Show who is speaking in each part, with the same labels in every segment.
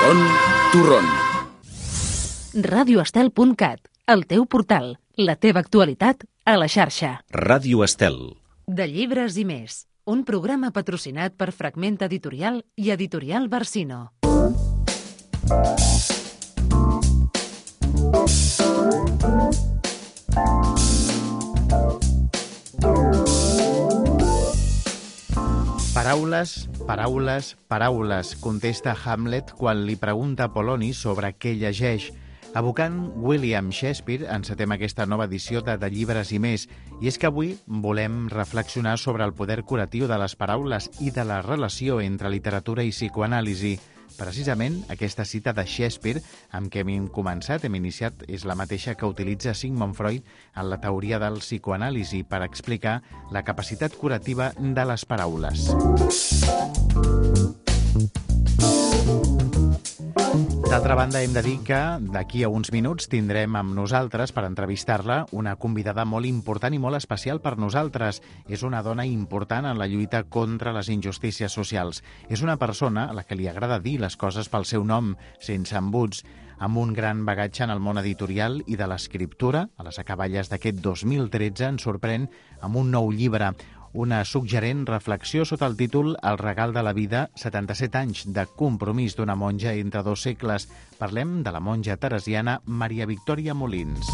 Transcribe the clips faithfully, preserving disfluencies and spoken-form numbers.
Speaker 1: Son Torrón.
Speaker 2: ràdio estel punt cat, el teu portal, la teva actualitat a la xarxa.
Speaker 3: Ràdio Estel.
Speaker 2: De llibres i més, un programa patrocinat per Fragment Editorial i Editorial Barsino.
Speaker 4: Paraules, paraules, paraules, contesta Hamlet quan li pregunta a Poloni sobre què llegeix. Evocant William Shakespeare, encetem aquesta nova edició de De llibres i més. I és que avui volem reflexionar sobre el poder curatiu de les paraules i de la relació entre literatura i psicoanàlisi. Precisament aquesta cita de Shakespeare, amb què hem començat, hem iniciat, és la mateixa que utilitza Sigmund Freud en la teoria del psicoanàlisi per explicar la capacitat curativa de les paraules. D'altra banda, hem de dir que d'aquí a uns minuts tindrem amb nosaltres, per entrevistar-la, una convidada molt important i molt especial per nosaltres. És una dona important en la lluita contra les injustícies socials. És una persona a la que li agrada dir les coses pel seu nom, sense embuts, amb un gran bagatge en el món editorial i de l'escriptura. A les acaballes d'aquest dos mil tretze ens sorprèn amb un nou llibre, una suggerent reflexió sota el títol El regal de la vida, setanta-set anys de compromís d'una monja entre dos segles. Parlem de la monja teresiana Maria Victòria Molins.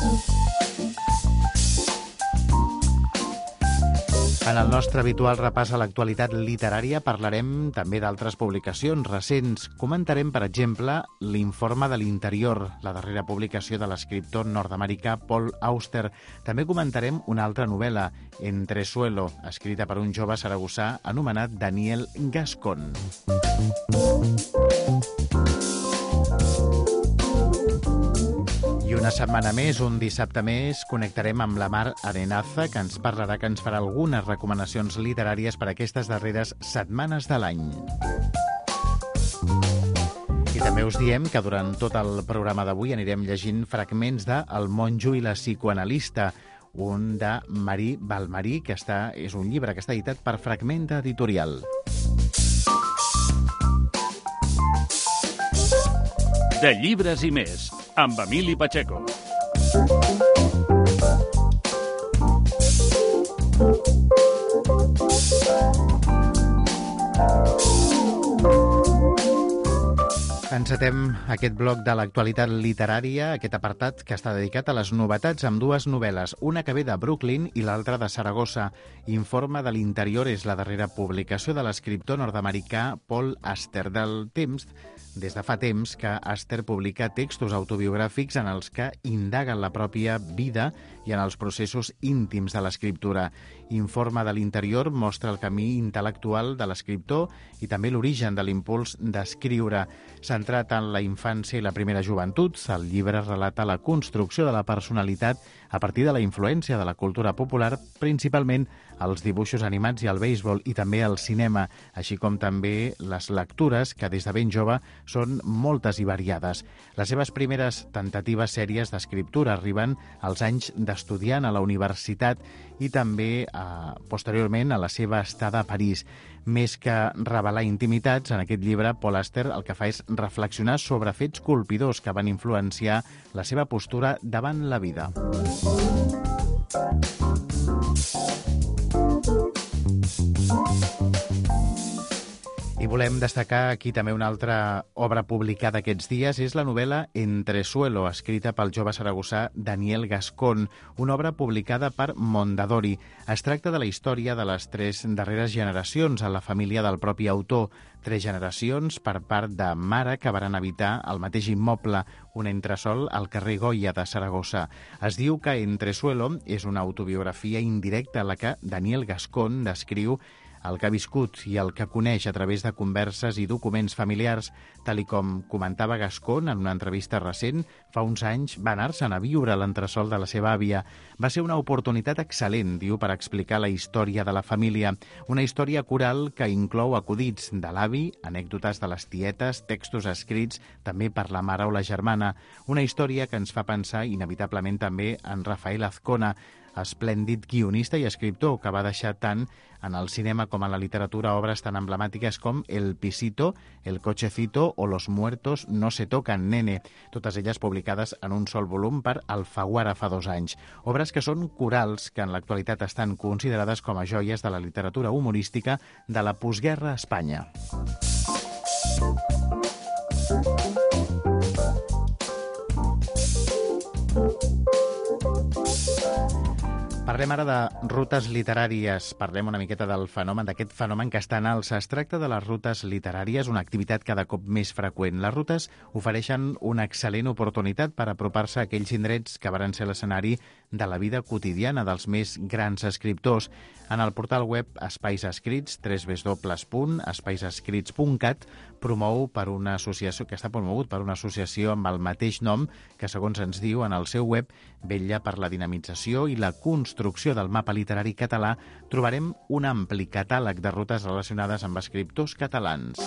Speaker 4: En el nostre habitual repàs a l'actualitat literària parlarem també d'altres publicacions recents. Comentarem, per exemple, l'Informe de l'Interior, la darrera publicació de l'escriptor nord-americà Paul Auster. També comentarem una altra novel·la, Entresuelo, escrita per un jove saragossà anomenat Daniel Gascon. I una setmana més, un dissabte més, connectarem amb la Mar Arenaza, que ens parlarà, que ens farà algunes recomanacions literàries per a aquestes darreres setmanes de l'any. I també us diem que durant tot el programa d'avui anirem llegint fragments de El monjo i la psicoanalista, un de Marí Balmarí, que està, és un llibre que està editat per Fragment Editorial.
Speaker 1: De llibres i més, amb Emili Pacheco.
Speaker 4: Encetem aquest bloc de l'actualitat literària, aquest apartat que està dedicat a les novetats amb dues novel·les, una que ve de Brooklyn i l'altra de Saragossa. Informe de l'Interior és la darrera publicació de l'escriptor nord-americà Paul Auster. Del temps, des de fa temps que Auster publica textos autobiogràfics en els que indaguen la pròpia vida i en els processos íntims de l'escriptura. Informe de l'Interior mostra el camí intel·lectual de l'escriptor i també l'origen de l'impuls d'escriure. Centrat en la infància i la primera joventut, el llibre relata la construcció de la personalitat a partir de la influència de la cultura popular, principalment els dibuixos animats i el béisbol, i també el cinema, així com també les lectures, que des de ben jove són moltes i variades. Les seves primeres tentatives sèries d'escriptura arriben als anys d'estudiant a la universitat i també, eh, posteriorment, a la seva estada a París. Més que revelar intimitats, en aquest llibre, Paul Auster el que fa és reflexionar sobre fets colpidors que van influenciar la seva postura davant la vida. I volem destacar aquí també una altra obra publicada aquests dies, és la novel·la Entresuelo, escrita pel jove saragossà Daniel Gascon, una obra publicada per Mondadori. Es tracta de la història de les tres darreres generacions a la família del propi autor, tres generacions per part de mare que varen habitar el mateix immoble, un entresòl al carrer Goya de Saragossa. Es diu que Entresuelo és una autobiografia indirecta a la que Daniel Gascon descriu el que ha viscut i el que coneix a través de converses i documents familiars. Tal i com comentava Gascon en una entrevista recent, fa uns anys va anar-se'n a viure a l'entresòl de la seva àvia. Va ser una oportunitat excel·lent, diu, per explicar la història de la família. Una història coral que inclou acudits de l'avi, anècdotes de les tietes, textos escrits també per la mare o la germana. Una història que ens fa pensar inevitablement també en Rafael Azcona. esplèndid guionista i escriptor que va deixar tant en el cinema com en la literatura obres tan emblemàtiques com El Pisito, El Cochecito o Los Muertos no se tocan, nene, totes elles publicades en un sol volum per Alfaguara fa dos anys. Obres que són corals que en l'actualitat estan considerades com a joies de la literatura humorística de la postguerra a Espanya. Parlem ara de rutes literàries, parlem una miqueta del fenomen, d'aquest fenomen que està en alça. Es tracta de les rutes literàries, una activitat cada cop més freqüent. Les rutes ofereixen una excel·lent oportunitat per apropar-se a aquells indrets que varen ser l'escenari de la vida quotidiana dels més grans escriptors. En el portal web Espais Escrits, w w w punt espais escrits punt cat, promou per una associació que està promogut per una associació amb el mateix nom que, segons ens diu en el seu web, vetlla per la dinamització i la construcció del mapa literari català. Trobarem un ampli catàleg de rutes relacionades amb escriptors catalans.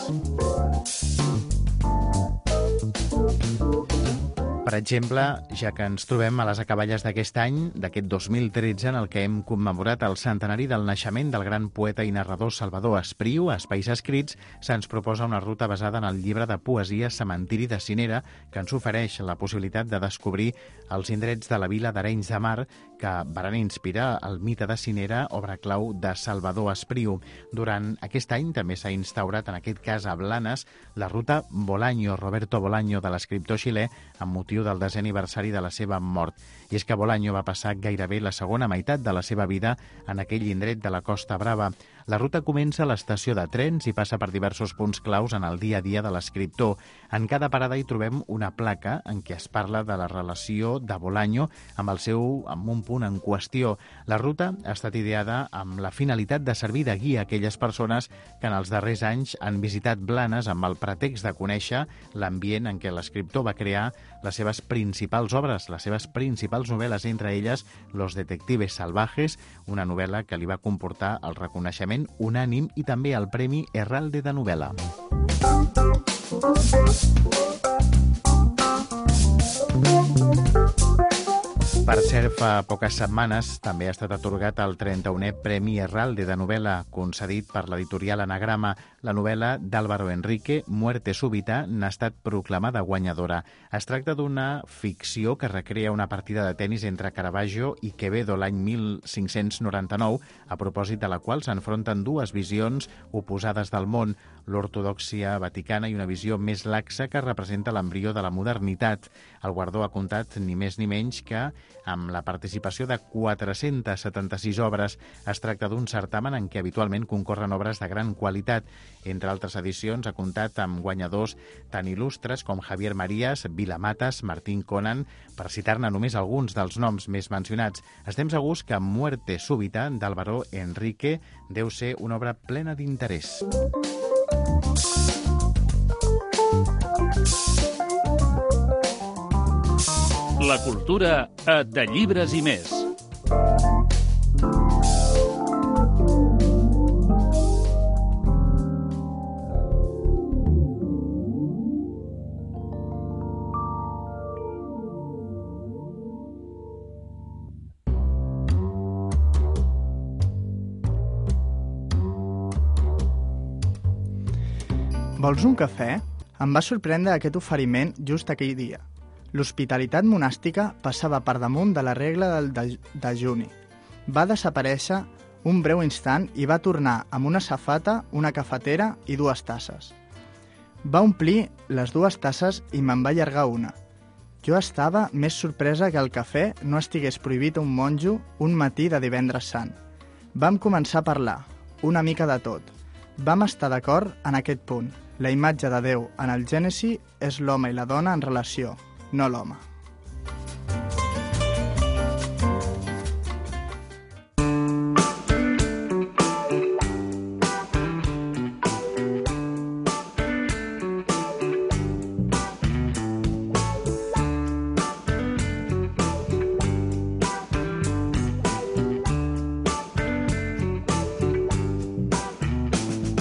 Speaker 4: Per exemple, ja que ens trobem a les acaballes d'aquest any, d'aquest dos mil tretze, en el que hem commemorat el centenari del naixement del gran poeta i narrador Salvador Espriu, a Espais Escrits se'ns proposa una ruta basada en el llibre de poesia Cementiri de Cinera, que ens ofereix la possibilitat de descobrir els indrets de la vila d'Arenys de Mar que varen inspirar el mite de Cinera, obra clau de Salvador Espriu. Durant aquest any també s'ha instaurat, en aquest cas a Blanes, la ruta Bolaño, Roberto Bolaño, de l'escriptor xilè, amb motiu del desè aniversari de la seva mort. I és que Bolaño va passar gairebé la segona meitat de la seva vida en aquell indret de la Costa Brava. La ruta comença a l'estació de trens i passa per diversos punts claus en el dia a dia de l'escriptor. En cada parada hi trobem una placa en què es parla de la relació de Bolaño amb el seu amb un punt en qüestió. La ruta ha estat ideada amb la finalitat de servir de guia a aquelles persones que en els darrers anys han visitat Blanes amb el pretext de conèixer l'ambient en què l'escriptor va crear les seves principals obres, les seves principals novel·les, entre elles Los detectives salvajes, una novel·la que li va comportar el reconeixement unànim i també el Premi Herralde de Novel·la. Per cert, fa poques setmanes també ha estat atorgat el trenta-unè Premi Herralde de Novel·la, concedit per l'editorial Anagrama. La novel·la d'Álvaro Enrique, Muerte súbita, n'ha estat proclamada guanyadora. Es tracta d'una ficció que recrea una partida de tenis entre Caravaggio i Quevedo l'any mil cinc-cents noranta-nou, a propòsit de la qual s'enfronten dues visions oposades del món, l'ortodòxia vaticana i una visió més laxa que representa l'embrió de la modernitat. El guardó ha comptat ni més ni menys que amb la participació de quatre-centes setanta-sis obres. Es tracta d'un certamen en què habitualment concorren obres de gran qualitat. Entre altres edicions ha comptat amb guanyadors tan il·lustres com Javier Marías, Vilamatas, Martín Conan, per citar-ne només alguns dels noms més mencionats. Estem segurs que Muerte súbita, d'Álvaro Enrique, deu ser una obra plena d'interès.
Speaker 1: La cultura a De Llibres i Més.
Speaker 3: Vols un cafè? Em va sorprendre aquest oferiment just aquell dia. L'hospitalitat monàstica passava per damunt de la regla del dejuni. Va desaparèixer un breu instant i va tornar amb una safata, una cafetera i dues tasses. Va omplir les dues tasses i me'n va allargar una. Jo estava més sorpresa que el cafè no estigués prohibit a un monjo un matí de divendres sant. Vam començar a parlar, una mica de tot. Vam estar d'acord en aquest punt. La imatge de Déu en el Gènesi és l'home i la dona en relació, no l'home.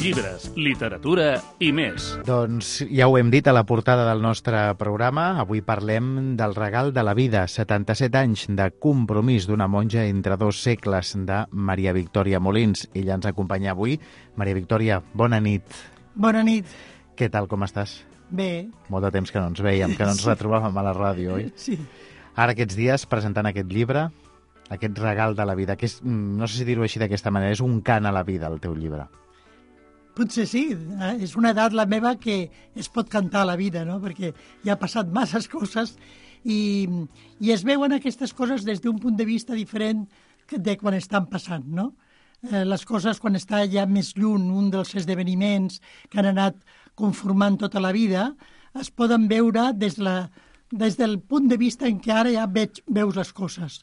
Speaker 1: Llibres Llibres, literatura i més.
Speaker 4: Doncs ja ho hem dit a la portada del nostre programa. Avui parlem del regal de la vida, setanta-set anys de compromís d'una monja entre dos segles, de Maria Victòria Molins. Ella ens acompanya avui. Maria Victòria, bona nit.
Speaker 5: Bona nit.
Speaker 4: Què tal, com estàs?
Speaker 5: Bé.
Speaker 4: Molt de temps que no ens veiem, que no ens retrobàvem a la ràdio, oi?
Speaker 5: Sí.
Speaker 4: Ara aquests dies presentant aquest llibre, aquest regal de la vida, que és, no sé si dir-ho així d'aquesta manera, és un cant a la vida, el teu llibre.
Speaker 5: Potser sí, és una edat la meva que es pot cantar a la vida, no? Perquè ja ha passat masses coses i, i es veuen aquestes coses des d'un punt de vista diferent de quan estan passant, no? Eh, les coses quan està ja més lluny, un dels esdeveniments que han anat conformant tota la vida, es poden veure des, la, des del punt de vista en què ara ja veig, veus les coses.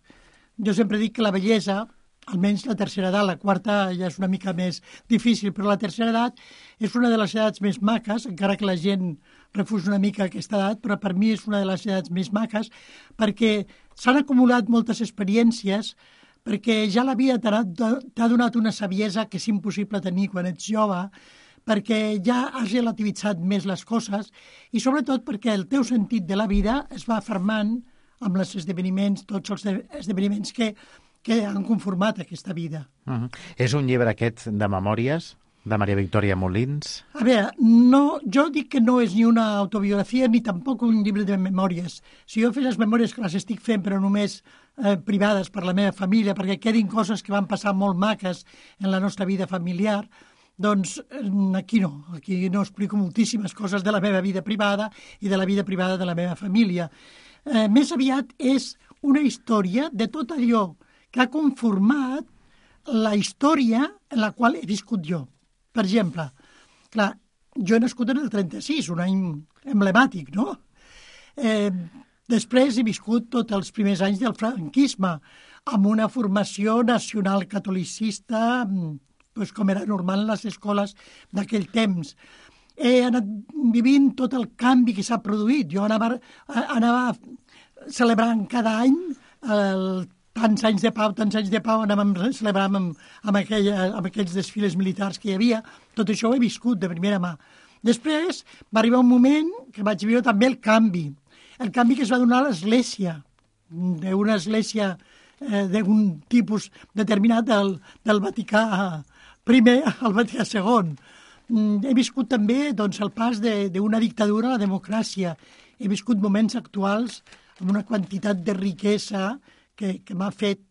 Speaker 5: Jo sempre dic que la bellesa, almenys la tercera edat, la quarta ja és una mica més difícil, però la tercera edat és una de les edats més maques, encara que la gent refusa una mica aquesta edat, però per mi és una de les edats més maques, perquè s'han acumulat moltes experiències, perquè ja la vida t'ha donat una saviesa que és impossible tenir quan ets jove, perquè ja has relativitzat més les coses i sobretot perquè el teu sentit de la vida es va fermant amb els esdeveniments, tots els esdeveniments que, que han conformat aquesta vida.
Speaker 4: Uh-huh. És un llibre aquest de memòries de Maria Victòria Molins?
Speaker 5: A veure, no, jo dic que no és ni una autobiografia ni tampoc un llibre de memòries. Si jo fes les memòries que les estic fent però només eh, privades per la meva família, perquè quedin coses que van passar molt maques en la nostra vida familiar, doncs aquí no, aquí no explico moltíssimes coses de la meva vida privada i de la vida privada de la meva família. Eh, més aviat és una història de tot allò que ha conformat la història en la qual he viscut jo. Per exemple, clar, jo he nascut en el trenta-sis, un any emblemàtic, no? Eh, després he viscut tots els primers anys del franquisme, amb una formació nacional catolicista, pues, com era normal en les escoles d'aquell temps. He anat vivint tot el canvi que s'ha produït. Jo anava, anava celebrant cada any el, tants anys de pau, tants anys de pau, anàvem celebrant amb, amb, aquella, amb aquells desfiles militars que hi havia. Tot això ho he viscut de primera mà. Després va arribar un moment que vaig viure també el canvi. El canvi que es va donar a l'Església, d'una església eh, d'un tipus determinat del, del Vaticà primer al Vaticà segon. He viscut també doncs, el pas d'una dictadura a la democràcia. He viscut moments actuals amb una quantitat de riquesa que, que m'ha fet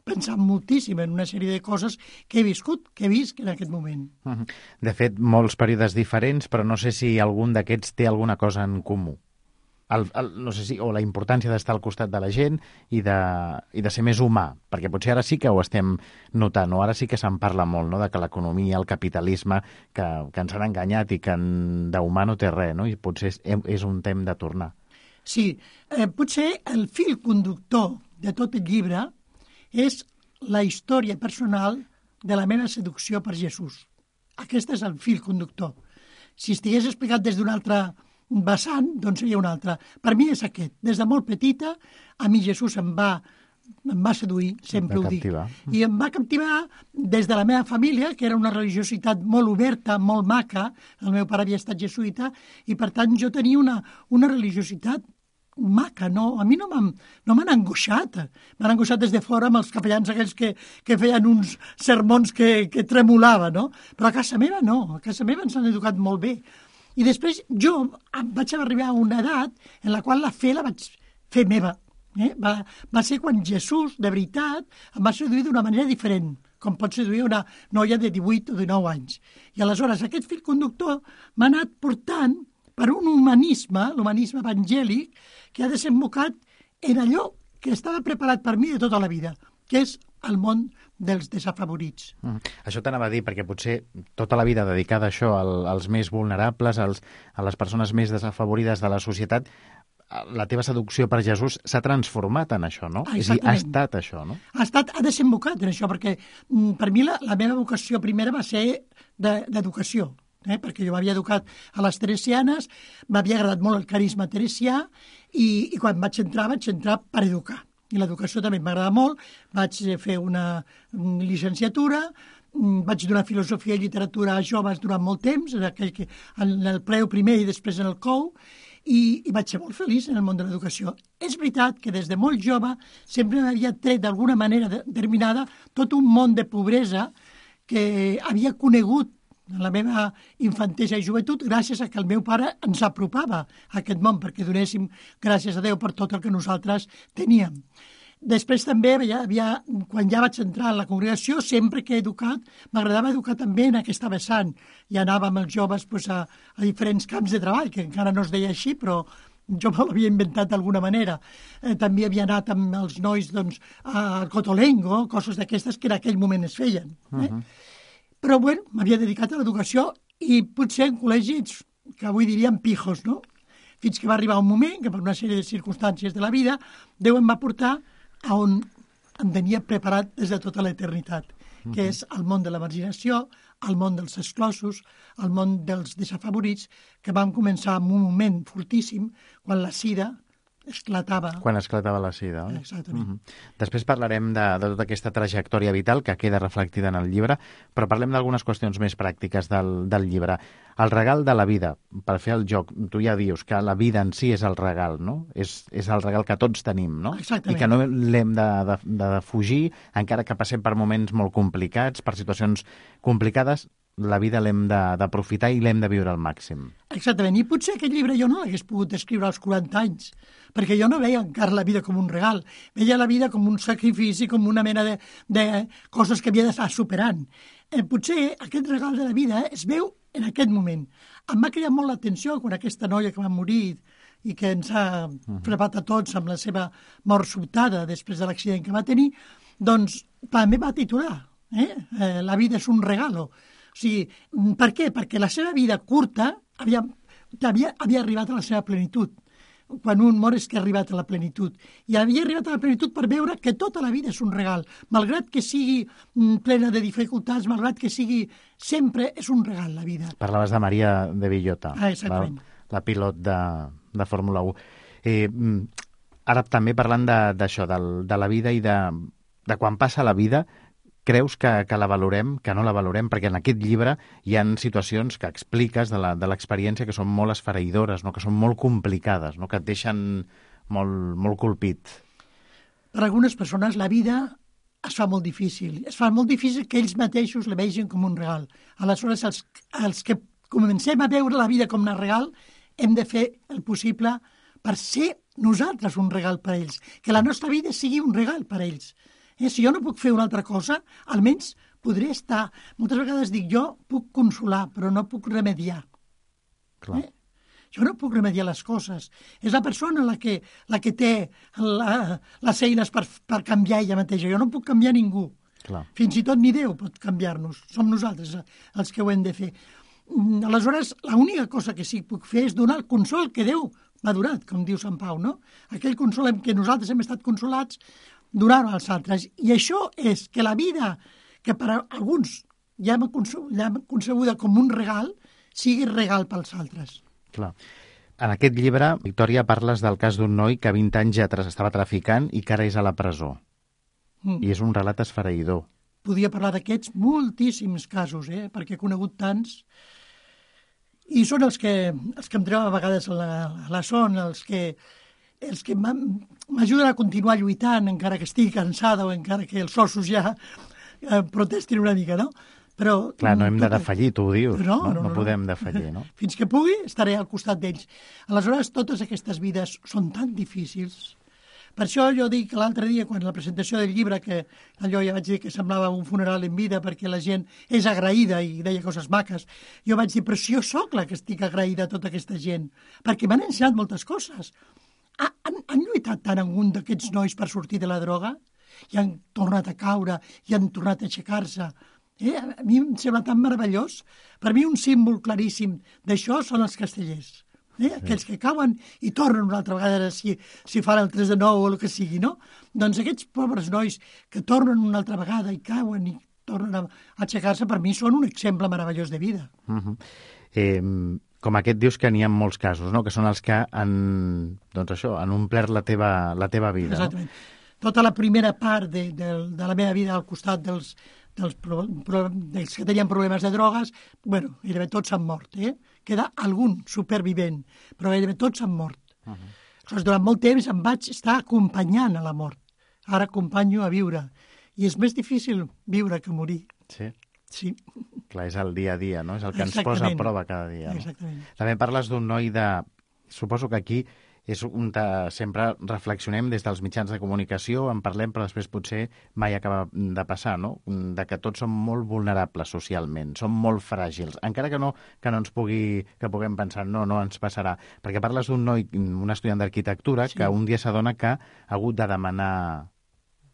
Speaker 5: pensar moltíssim en una sèrie de coses que he viscut, que he vist en aquest moment.
Speaker 4: De fet, molts períodes diferents, però no sé si algun d'aquests té alguna cosa en comú. El, el, no sé si, o la importància d'estar al costat de la gent i de, i de ser més humà, perquè potser ara sí que ho estem notant, o ara sí que se'n parla molt, no?, de que l'economia, el capitalisme, que, que ens han enganyat i que d'humà no té res, no?, i potser és, és un temps de tornar.
Speaker 5: Sí, eh, potser el fil conductor de tot el llibre és la història personal de la meva seducció per Jesús. Aquest és el fil conductor. Si estigués explicat des d'un altre vessant, doncs seria un altre. Per mi és aquest. Des de molt petita, a mi Jesús em va, em va seduir, sempre ho dic. I em va captivar des de la meva família, que era una religiositat molt oberta, molt maca. El meu pare havia estat jesuïta i, per tant, jo tenia una, una religiositat maca, no? A mi no m'han no m'han angoixat. M'han angoixat des de fora amb els capellans aquells que, que feien uns sermons que, que tremolaven, no? Però a casa meva no. A casa meva ens han educat molt bé. I després jo vaig arribar a una edat en la qual la fe la vaig fer meva. Eh? Va, va ser quan Jesús, de veritat, em va seduir d'una manera diferent, com pot seduir una noia de divuit o dinou anys. I aleshores aquest fil conductor m'ha anat portant per un humanisme, l'humanisme evangèlic, que ha desembocat en allò que estava preparat per mi de tota la vida, que és el món dels desafavorits.
Speaker 4: Mm. Això t'anava a dir, perquè potser tota la vida dedicada a això, al, als més vulnerables, als, a les persones més desafavorides de la societat, la teva seducció per Jesús s'ha transformat en això, no?
Speaker 5: Ah,
Speaker 4: és a dir, ha estat això, no?
Speaker 5: Ha estat, ha desembocat en això, perquè mm, per mi la, la meva vocació primera va ser d'educació, eh? Perquè jo m'havia educat a les teresianes, m'havia agradat molt el carisma teresià i, i quan vaig entrar, vaig entrar per educar. I l'educació també m'agrada molt, vaig fer una llicenciatura vaig donar filosofia i literatura a joves durant molt temps, en, aquell que, en el preu primer i després en el C O U, i, i vaig ser molt feliç en el món de l'educació. És veritat que des de molt jove sempre m'havia tret d'alguna manera determinada tot un món de pobresa que havia conegut en la meva infantesa i joventut gràcies a que el meu pare ens apropava a aquest món, perquè donéssim gràcies a Déu per tot el que nosaltres teníem. Després també, havia, havia, quan ja vaig entrar a la congregació, sempre que he educat, m'agradava educar també en aquesta vessant. I anava amb els joves pues, a, a diferents camps de treball, que encara no es deia així, però jo me l'havia inventat d'alguna manera. Eh, també havia anat amb els nois doncs, al Cotolengo, coses d'aquestes que en aquell moment es feien. Eh? Uh-huh. Però, bueno, m'havia dedicat a l'educació i potser en col·legis, que avui diríem pijos, no? Fins que va arribar un moment que per una sèrie de circumstàncies de la vida Déu em va portar a on em tenia preparat des de tota l'eternitat, uh-huh. que és el món de la marginació, el món dels exclosos, el món dels desafavorits, que vam començar en un moment fortíssim quan la sida esclatava.
Speaker 4: Quan esclatava la sida, oi?
Speaker 5: Exactament.
Speaker 4: Uh-huh. Després parlarem de, de tota aquesta trajectòria vital que queda reflectida en el llibre, però parlem d'algunes qüestions més pràctiques del, del llibre. El regal de la vida, per fer el joc, tu ja dius que la vida en si és el regal, no? És, és el regal que tots tenim, no?
Speaker 5: Exactament.
Speaker 4: I que no l'hem de, de, de fugir, encara que passem per moments molt complicats, per situacions complicades, la vida l'hem d'aprofitar i l'hem de viure al màxim.
Speaker 5: Exactament, i potser aquest llibre jo no l'hagués pogut escriure als quaranta anys, perquè jo no veia encara la vida com un regal, veia la vida com un sacrifici, com una mena de, de coses que havia d'estar superant. Eh, potser aquest regal de la vida es veu en aquest moment. Em va cridar molt l'atenció quan aquesta noia que va morir i que ens ha frapat a tots amb la seva mort sobtada després de l'accident que va tenir, doncs també va titular, eh? Eh, la vida és un regalo. O sigui, per què? Perquè la seva vida curta havia, havia, havia arribat a la seva plenitud. Quan un mor és que ha arribat a la plenitud. I havia arribat a la plenitud per veure que tota la vida és un regal. Malgrat que sigui plena de dificultats, malgrat que sigui... Sempre és un regal, la vida.
Speaker 4: Parlaves de Maria de Villota,
Speaker 5: ah, la,
Speaker 4: la pilot de, de Fórmula u. Eh, ara també parlant d'això, de, de la vida i de, de quan passa la vida, creus que, que la valorem, que no la valorem? Perquè en aquest llibre hi ha situacions que expliques de l'experiència que són molt esfereïdores, no? Que són molt complicades, no? Que et deixen molt, molt colpit.
Speaker 5: Per algunes persones la vida es fa molt difícil. Es fa molt difícil que ells mateixos la vegin com un regal. Aleshores, els, els que comencem a veure la vida com un regal, hem de fer el possible per ser nosaltres un regal per a ells. Que la nostra vida sigui un regal per a ells. Eh, si jo no puc fer una altra cosa, almenys podré estar... Moltes vegades dic, jo puc consolar, però no puc remediar.
Speaker 4: Clar.
Speaker 5: Eh? Jo no puc remediar les coses. És la persona la que, la que té la, les eines per, per canviar ella mateixa. Jo no puc canviar ningú.
Speaker 4: Clar.
Speaker 5: Fins i tot ni Déu pot canviar-nos. Som nosaltres els que ho hem de fer. Aleshores, l'única cosa que sí que puc fer és donar el consol que Déu m'ha donat, com diu Sant Pau, no? Aquell consol en què nosaltres hem estat consolats, donar-ho als altres. I això és que la vida, que per a alguns ja hem concebuda com un regal, sigui regal pels altres.
Speaker 4: Clar. En aquest llibre, Victòria, parles del cas d'un noi que vint anys ja estava traficant i que ara és a la presó. Mm. I és un relat esfereïdor.
Speaker 5: Podria parlar d'aquests moltíssims casos, eh? Perquè he conegut tants. I són els que, els que em treuen a vegades a la, a la son, els que... els que m'ajuden a continuar lluitant, encara que estigui cansada o encara que els ossos ja eh, protestin una mica, no? Però...
Speaker 4: Clar, no hem de defallir, tu ho dius.
Speaker 5: No,
Speaker 4: no,
Speaker 5: no,
Speaker 4: no,
Speaker 5: no
Speaker 4: podem defallir, no?
Speaker 5: Fins que pugui, estaré al costat d'ells. Aleshores, totes aquestes vides són tan difícils. Per això jo dic l'altre dia, quan la presentació del llibre, que allò ja vaig dir que semblava un funeral en vida perquè la gent és agraïda i deia coses maques, jo vaig dir, però si jo sóc la que estic agraïda a tota aquesta gent, perquè m'han ensenyat moltes coses. Han, han lluitat tant algun d'aquests nois per sortir de la droga i han tornat a caure i han tornat a aixecar-se. Eh? A mi em sembla tan meravellós. Per mi un símbol claríssim d'això són els castellers. Eh? Sí. Aquells que cauen i tornen una altra vegada si, si fan el tres de nou o el que sigui, no? Doncs aquests pobres nois que tornen una altra vegada i cauen i tornen a aixecar-se, per mi són un exemple meravellós de vida.
Speaker 4: Uh-huh. Eh... Com aquest dius que n'hi ha molts casos, no? Que són els que han, doncs això, han omplert la teva, la teva vida.
Speaker 5: Exactament. No? Tota la primera part de, de, de la meva vida al costat dels, dels, pro, pro, dels que tenien problemes de drogues, bueno, gairebé tots s'han mort, eh? Queda algun supervivent, però gairebé tots s'han mort. Uh -huh. Aleshores, durant molt temps em vaig estar acompanyant a la mort. Ara acompanyo a viure. I és més difícil viure que morir.
Speaker 4: Sí.
Speaker 5: Sí.
Speaker 4: Clar, és el dia a dia, no? És el que ens posa a prova cada dia. No?
Speaker 5: Exactament.
Speaker 4: També parles d'un noi de... Suposo que aquí és un de... sempre reflexionem des dels mitjans de comunicació, en parlem, però després potser mai acaba de passar, no? De que tots som molt vulnerables socialment, som molt fràgils, encara que no, que no ens pugui, que puguem pensar, no, no ens passarà. Perquè parles d'un noi, un estudiant d'arquitectura, sí. que un dia s'adona que ha hagut de demanar,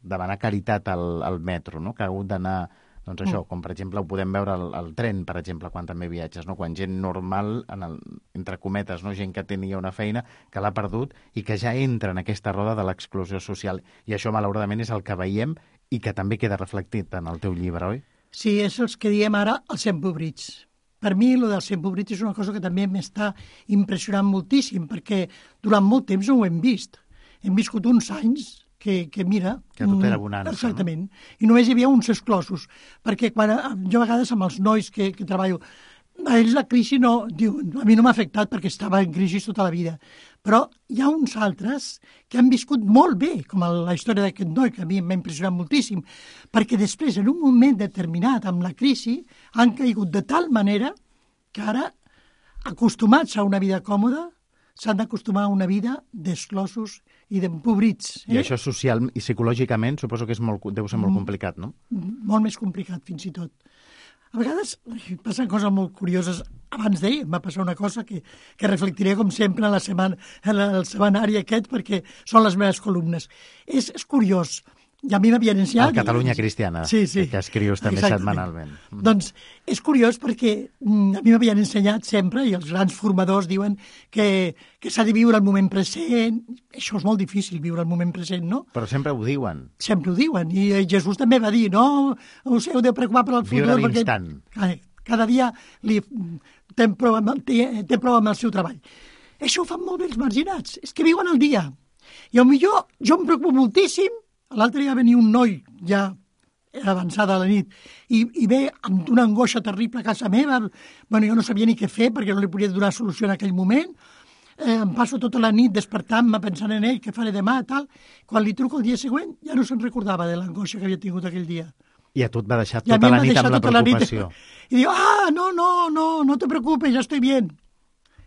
Speaker 4: demanar caritat al, al metro, no? Que ha hagut d'anar... Doncs això, com per exemple ho podem veure al, al tren, per exemple, quan també viatges, no? Quan gent normal, en el, entre cometes, no? Gent que tenia una feina, que l'ha perdut i que ja entra en aquesta roda de l'exclusió social. I això, malauradament, és el que veiem i que també queda reflectit en el teu llibre, oi?
Speaker 5: Sí, és el que diem ara els empobrits. Per mi, el dels empobrits és una cosa que també m'està impressionant moltíssim, perquè durant molt temps no ho hem vist. Hem viscut uns anys... Que, que mira...
Speaker 4: Que tot era bonança,
Speaker 5: exactament. No? I només hi havia uns exclosos. Perquè quan, jo a vegades amb els nois que, que treballo, a ells la crisi no... Diuen, a mi no m'ha afectat perquè estava en crisi tota la vida. Però hi ha uns altres que han viscut molt bé, com la història d'aquest noi, que a mi m'ha impressionat moltíssim, perquè després, en un moment determinat, amb la crisi, han caigut de tal manera que ara, acostumats a una vida còmoda, s'han d'acostumar a una vida d'exclosos i d'empobrits. Eh?
Speaker 4: I això social i psicològicament suposo que és molt, deu ser molt complicat, no?
Speaker 5: Molt més complicat, fins i tot. A vegades passen coses molt curioses. Abans d'ahir em va passar una cosa que, que reflectiré, com sempre, en, la setmana, en el setmanari aquest, perquè són les meves columnes. És, és curiós. I a mi m'havien ensenyat...
Speaker 4: El Catalunya Cristiana,
Speaker 5: sí, sí.
Speaker 4: que escrius també
Speaker 5: Exactament.
Speaker 4: setmanalment.
Speaker 5: Mm. Doncs és curiós perquè a mi m'havien ensenyat sempre, i els grans formadors diuen que, que s'ha de viure el moment present. Això és molt difícil, viure el moment present, no?
Speaker 4: Però sempre ho diuen.
Speaker 5: Sempre ho diuen. I Jesús també va dir, no us heu de preocupar per al futur.
Speaker 4: Viure l'instant.
Speaker 5: Perquè cada dia li, té, prou amb, té, té prou amb el seu treball. Això ho fan molt bé els marginats. És que viuen el dia. I potser jo em preocupo moltíssim. L'altre dia va venir un noi, ja era avançada a la nit, i, i ve amb una angoixa terrible a casa meva. Bueno, jo no sabia ni què fer perquè no li podia donar solució en aquell moment. Eh, em passo tota la nit despertant-me pensant en ell, què faré demà, tal. Quan li truco el dia següent ja no se'n recordava de l'angoixa que havia tingut aquell dia.
Speaker 4: I a tu et va deixar tota la nit amb la preocupació.
Speaker 5: I diu, ah, no, no, no, no te preocupes, ja estic bien.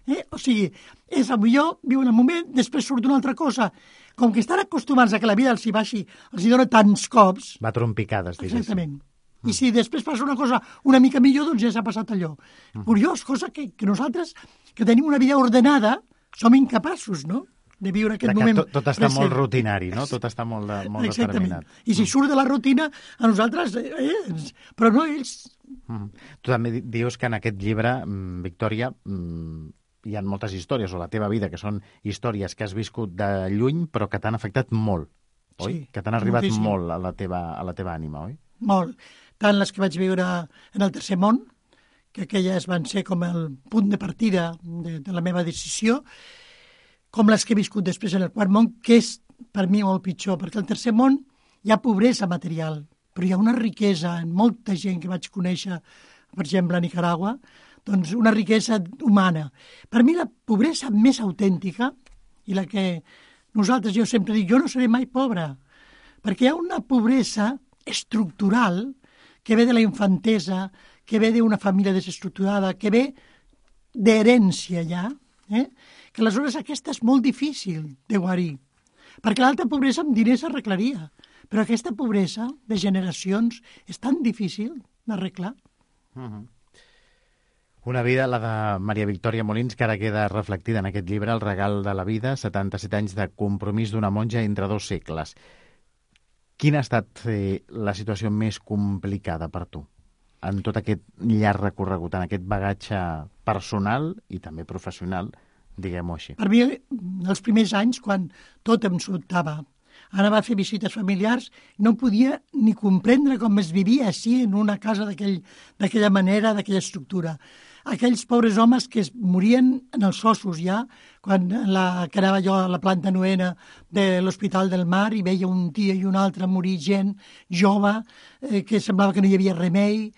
Speaker 5: Eh? O sigui, és el millor, viu en el moment, després surt una altra cosa. Com que estan acostumats a que la vida els hi baixi, els hi dona tants cops...
Speaker 4: Va trompicades, diguéssim.
Speaker 5: Exactament. Mm. I si després passa una cosa una mica millor, doncs ja s'ha passat allò. Mm. Curiós, cosa que, que nosaltres, que tenim una vida ordenada, som incapaços, no?, de viure aquest moment
Speaker 4: tot, tot està present. Molt rutinari, no? Tot està molt, de, molt determinat.
Speaker 5: I si surt de la rutina, a nosaltres... Eh, però no ells...
Speaker 4: Mm. Tu també dius que en aquest llibre, Victòria... hi ha moltes històries, o la teva vida, que són històries que has viscut de lluny, però que t'han afectat molt, oi?
Speaker 5: Sí,
Speaker 4: que t'han arribat
Speaker 5: moltíssim.
Speaker 4: molt a la, teva, a la teva ànima, oi?
Speaker 5: Molt. Tant les que vaig viure en el Tercer Món, que aquelles van ser com el punt de partida de, de la meva decisió, com les que he viscut després en el Quart Món, que és per mi molt pitjor, perquè al Tercer Món hi ha pobresa material, però hi ha una riquesa en molta gent que vaig conèixer, per exemple, a Nicaragua, doncs una riquesa humana. Per mi la pobresa més autèntica, i la que nosaltres, jo sempre dic, jo no seré mai pobre, perquè hi ha una pobresa estructural que ve de la infantesa, que ve d'una família desestructurada, que ve d'herència ja, eh? Que aleshores aquesta és molt difícil de guarir, perquè l'alta pobresa amb diners s'arreglaria, però aquesta pobresa de generacions és tan difícil d'arreglar.
Speaker 4: Uh-huh. Una vida, la de Maria Victòria Molins, que ara queda reflectida en aquest llibre, El regal de la vida, setanta-set anys de compromís d'una monja entre dos segles. Quina ha estat eh, la situació més complicada per tu en tot aquest llarg recorregut, en aquest bagatge personal i també professional, diguem-ho així?
Speaker 5: Per mi, els primers anys, quan tot em sobtava, anava a fer visites familiars, no podia ni comprendre com es vivia així en una casa d'aquella manera, d'aquella estructura. Aquells pobres homes que es morien en els ossos ja, quan la, que anava jo a la planta novena de l'Hospital del Mar i veia un dia i un altre morir gent jove, eh, que semblava que no hi havia remei.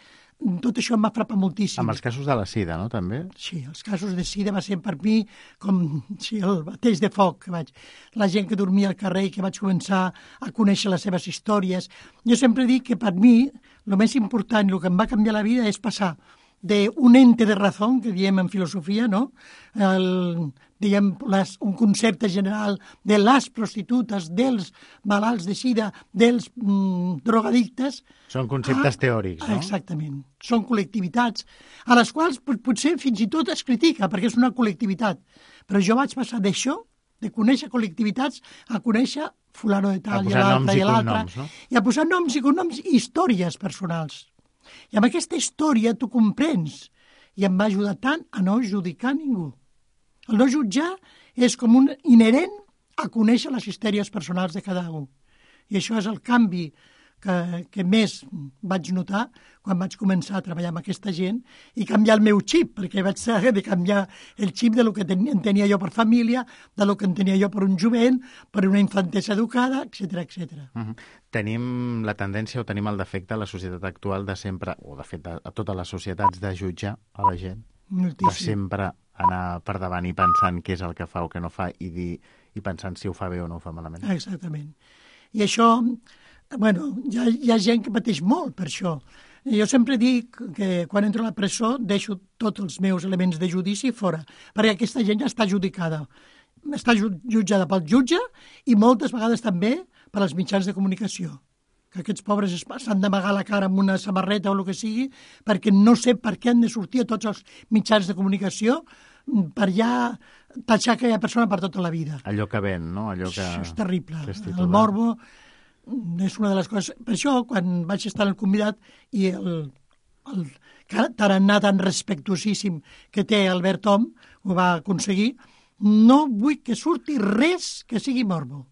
Speaker 5: Tot això em va frapar moltíssim.
Speaker 4: Amb els casos de la sida, no?, també?
Speaker 5: Sí, els casos de sida va ser per mi com sí, el bateix de foc que vaig. La gent que dormia al carrer i que vaig començar a conèixer les seves històries. Jo sempre dic que per mi el més important i el que em va canviar la vida és passar d'un ente de razón, que diem en filosofia, no? El, diguem, les, un concepte general de les prostitutes, dels malalts de sida, dels mm, drogadictes.
Speaker 4: Són conceptes a, teòrics, no?
Speaker 5: Exactament. Són col·lectivitats a les quals potser fins i tot es critica, perquè és una col·lectivitat. Però jo vaig passar d'això, de conèixer col·lectivitats, a conèixer fulano de tal i l'altre i l'altre, no? I a posar noms i cognoms i històries personals. I amb aquesta història tu comprens, i em va ajudar tant a no judicar ningú. El no jutjar és com un inherent a conèixer les històries personals de cada un. I això és el canvi que, que més vaig notar quan vaig començar a treballar amb aquesta gent i canviar el meu xip, perquè vaig saber de canviar el xip de lo que ten, tenia jo per família, de lo que en tenia jo per un jovent, per una infantesa educada, etcètera, etcètera.
Speaker 4: Uh-huh. Tenim la tendència o tenim el defecte a la societat actual de sempre, o de fet a, a totes les societats, de jutjar a la gent.
Speaker 5: Moltíssim.
Speaker 4: De sempre anar per davant i pensant què és el que fa o què no fa i, dir, i pensant si ho fa bé o no ho fa malament.
Speaker 5: Exactament. I això, bueno, hi ha, hi ha gent que pateix molt per això. Jo sempre dic que quan entro a la presó deixo tots els meus elements de judici fora, perquè aquesta gent ja està judicada. Està jutjada pel jutge i moltes vegades també per als mitjans de comunicació. Que aquests pobres s'han d'amagar la cara amb una samarreta o el que sigui, perquè no sé per què han de sortir a tots els mitjans de comunicació per ja tatxar aquella persona per tota la vida.
Speaker 4: Allò que ven, no? Allò que...
Speaker 5: Això és terrible. El morbo és una de les coses... Per això, quan vaig estar al convidat i el, el tarannà tan respectuosíssim que té Albert Om ho va aconseguir, no vull que surti res que sigui morbo.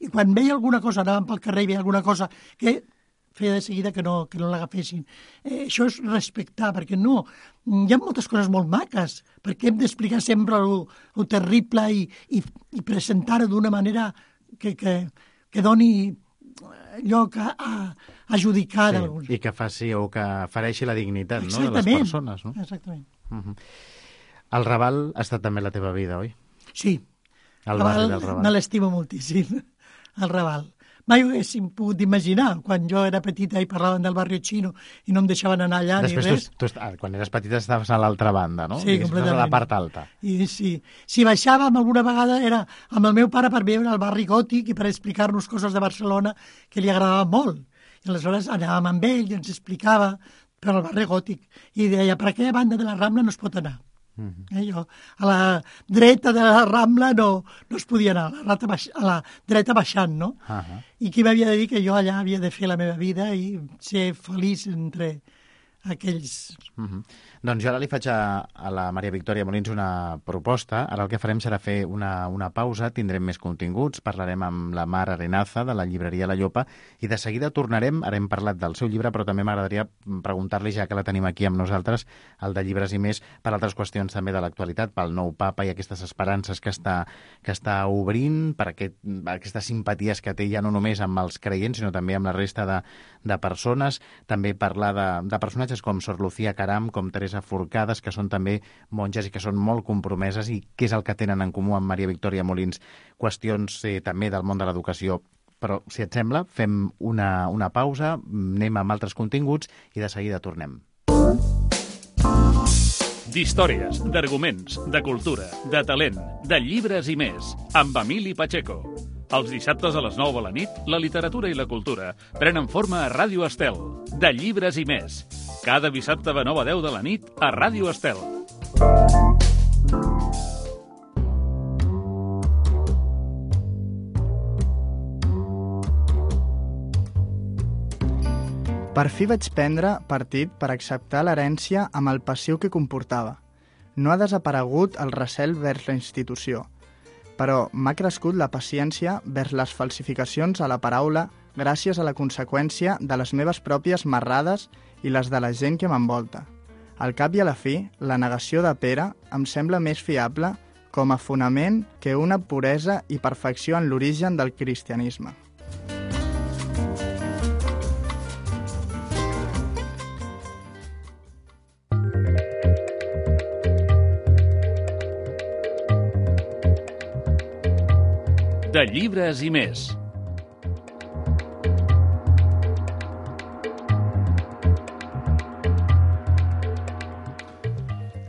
Speaker 5: I quan veia alguna cosa, anàvem pel carrer i veia alguna cosa que feia de seguida que no, que no l'agafessin. Eh, això és respectar, perquè no, hi ha moltes coses molt maques, perquè hem d'explicar sempre el terrible i, i, i presentar-ho d'una manera que, que, que doni lloc a, a, a judicar.
Speaker 4: Sí, i que faci o que fareixi la dignitat, no?, de les persones. No?
Speaker 5: Exactament.
Speaker 4: Uh-huh. El Raval ha estat també la teva vida, oi?
Speaker 5: Sí.
Speaker 4: El barri del Raval.
Speaker 5: Me l'estimo moltíssim, el Raval. Mai ho haguéssim pogut imaginar. Quan jo era petita i parlaven del barri xino i no em deixaven anar allà
Speaker 4: Després
Speaker 5: ni res.
Speaker 4: Tu, tu, quan eres petita estaves a l'altra banda, no?
Speaker 5: Sí, completament.
Speaker 4: A la part alta.
Speaker 5: I sí. Si baixàvem alguna vegada era amb el meu pare per veure el barri gòtic i per explicar-nos coses de Barcelona que li agradava molt. I aleshores anàvem amb ell i ens explicava per el barri gòtic. I deia, per aquella banda de la Rambla no es pot anar. Uh-huh. Eh, jo, a la dreta de la Rambla no, no es podia anar, a la, baix, a la dreta baixant, no?
Speaker 4: Uh-huh.
Speaker 5: I qui m'havia de dir que jo allà havia de fer la meva vida i ser feliç entre aquells...
Speaker 4: Uh-huh. Doncs jo ara li faig a, a la Maria Victòria Molins una proposta. Ara el que farem serà fer una, una pausa, tindrem més continguts, parlarem amb la Mar Arenaza de la llibreria La Llopa i de seguida tornarem, ara hem parlat del seu llibre, però també m'agradaria preguntar-li, ja que la tenim aquí amb nosaltres, el de Llibres i Més, per altres qüestions també de l'actualitat, pel nou papa i aquestes esperances que està, que està obrint, per aquest, aquestes simpaties que té ja no només amb els creients, sinó també amb la resta de, de persones, també parlar de, de personatges com Sor Lucía Caram, com Teresa Forcades, que són també monges i que són molt compromeses, i què és el que tenen en comú amb Maria Victòria Molins? Qüestions eh, també del món de l'educació. Però, si et sembla, fem una, una pausa, anem amb altres continguts i de seguida tornem.
Speaker 1: D'històries, d'arguments, de cultura, de talent, de llibres i més, amb Emili Pacheco. Els dissabtes a les nou de la nit, la literatura i la cultura prenen forma a Ràdio Estel, de Llibres i Més. Cada dissabte de nou a deu de la nit a Ràdio Estel.
Speaker 3: Per fi vaig prendre partit per acceptar l'herència amb el passiu que comportava. No ha desaparegut el recel vers la institució. però m'ha crescut la paciència vers les falsificacions a la paraula gràcies a la conseqüència de les meves pròpies marrades i les de la gent que m'envolta. Al cap i a la fi, la negació de Pere em sembla més fiable com a fonament que una puresa i perfecció en l'origen del cristianisme.
Speaker 1: De llibres i més.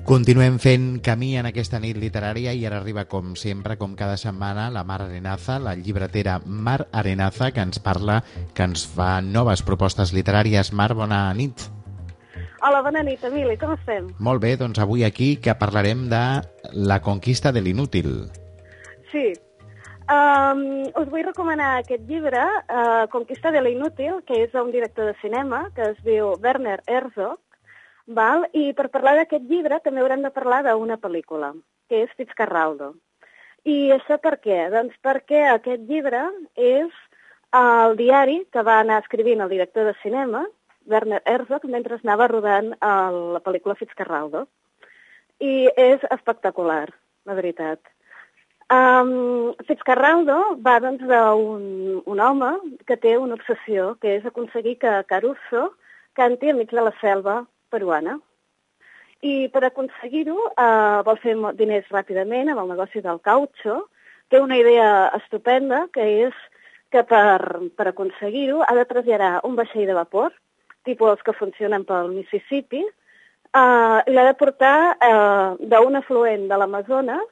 Speaker 4: Continuem fent camí en aquesta nit literària i ara arriba, com sempre, com cada setmana, la Mar Arenaza, la llibretera Mar Arenaza, que ens parla, que ens fa noves propostes literàries. Mar, bona nit.
Speaker 6: Hola, bona nit, Emili, com estem?
Speaker 4: Molt bé, doncs avui aquí que parlarem de La conquista de l'inútil.
Speaker 6: Sí, um, us vull recomanar aquest llibre, uh, Conquista de l'inútil, que és d'un director de cinema, que es diu Werner Herzog. Val? I per parlar d'aquest llibre també haurem de parlar d'una pel·lícula, que és Fitzcarraldo. I això per què? Doncs perquè aquest llibre és el diari que va anar escrivint el director de cinema, Werner Herzog, mentre anava rodant la pel·lícula Fitzcarraldo. I és espectacular, la veritat. Um, Fitzcarraldo va doncs, d'un un home que té una obsessió, que és aconseguir que Caruso canti enmig de la selva peruana. I per aconseguir-ho eh, vol fer diners ràpidament amb el negoci del cautxo. Té una idea estupenda, que és que per, per aconseguir-ho ha de traslladar un vaixell de vapor, tipus els que funcionen pel Mississippi, eh, i l'ha de portar eh, d'un afluent de l'Amazones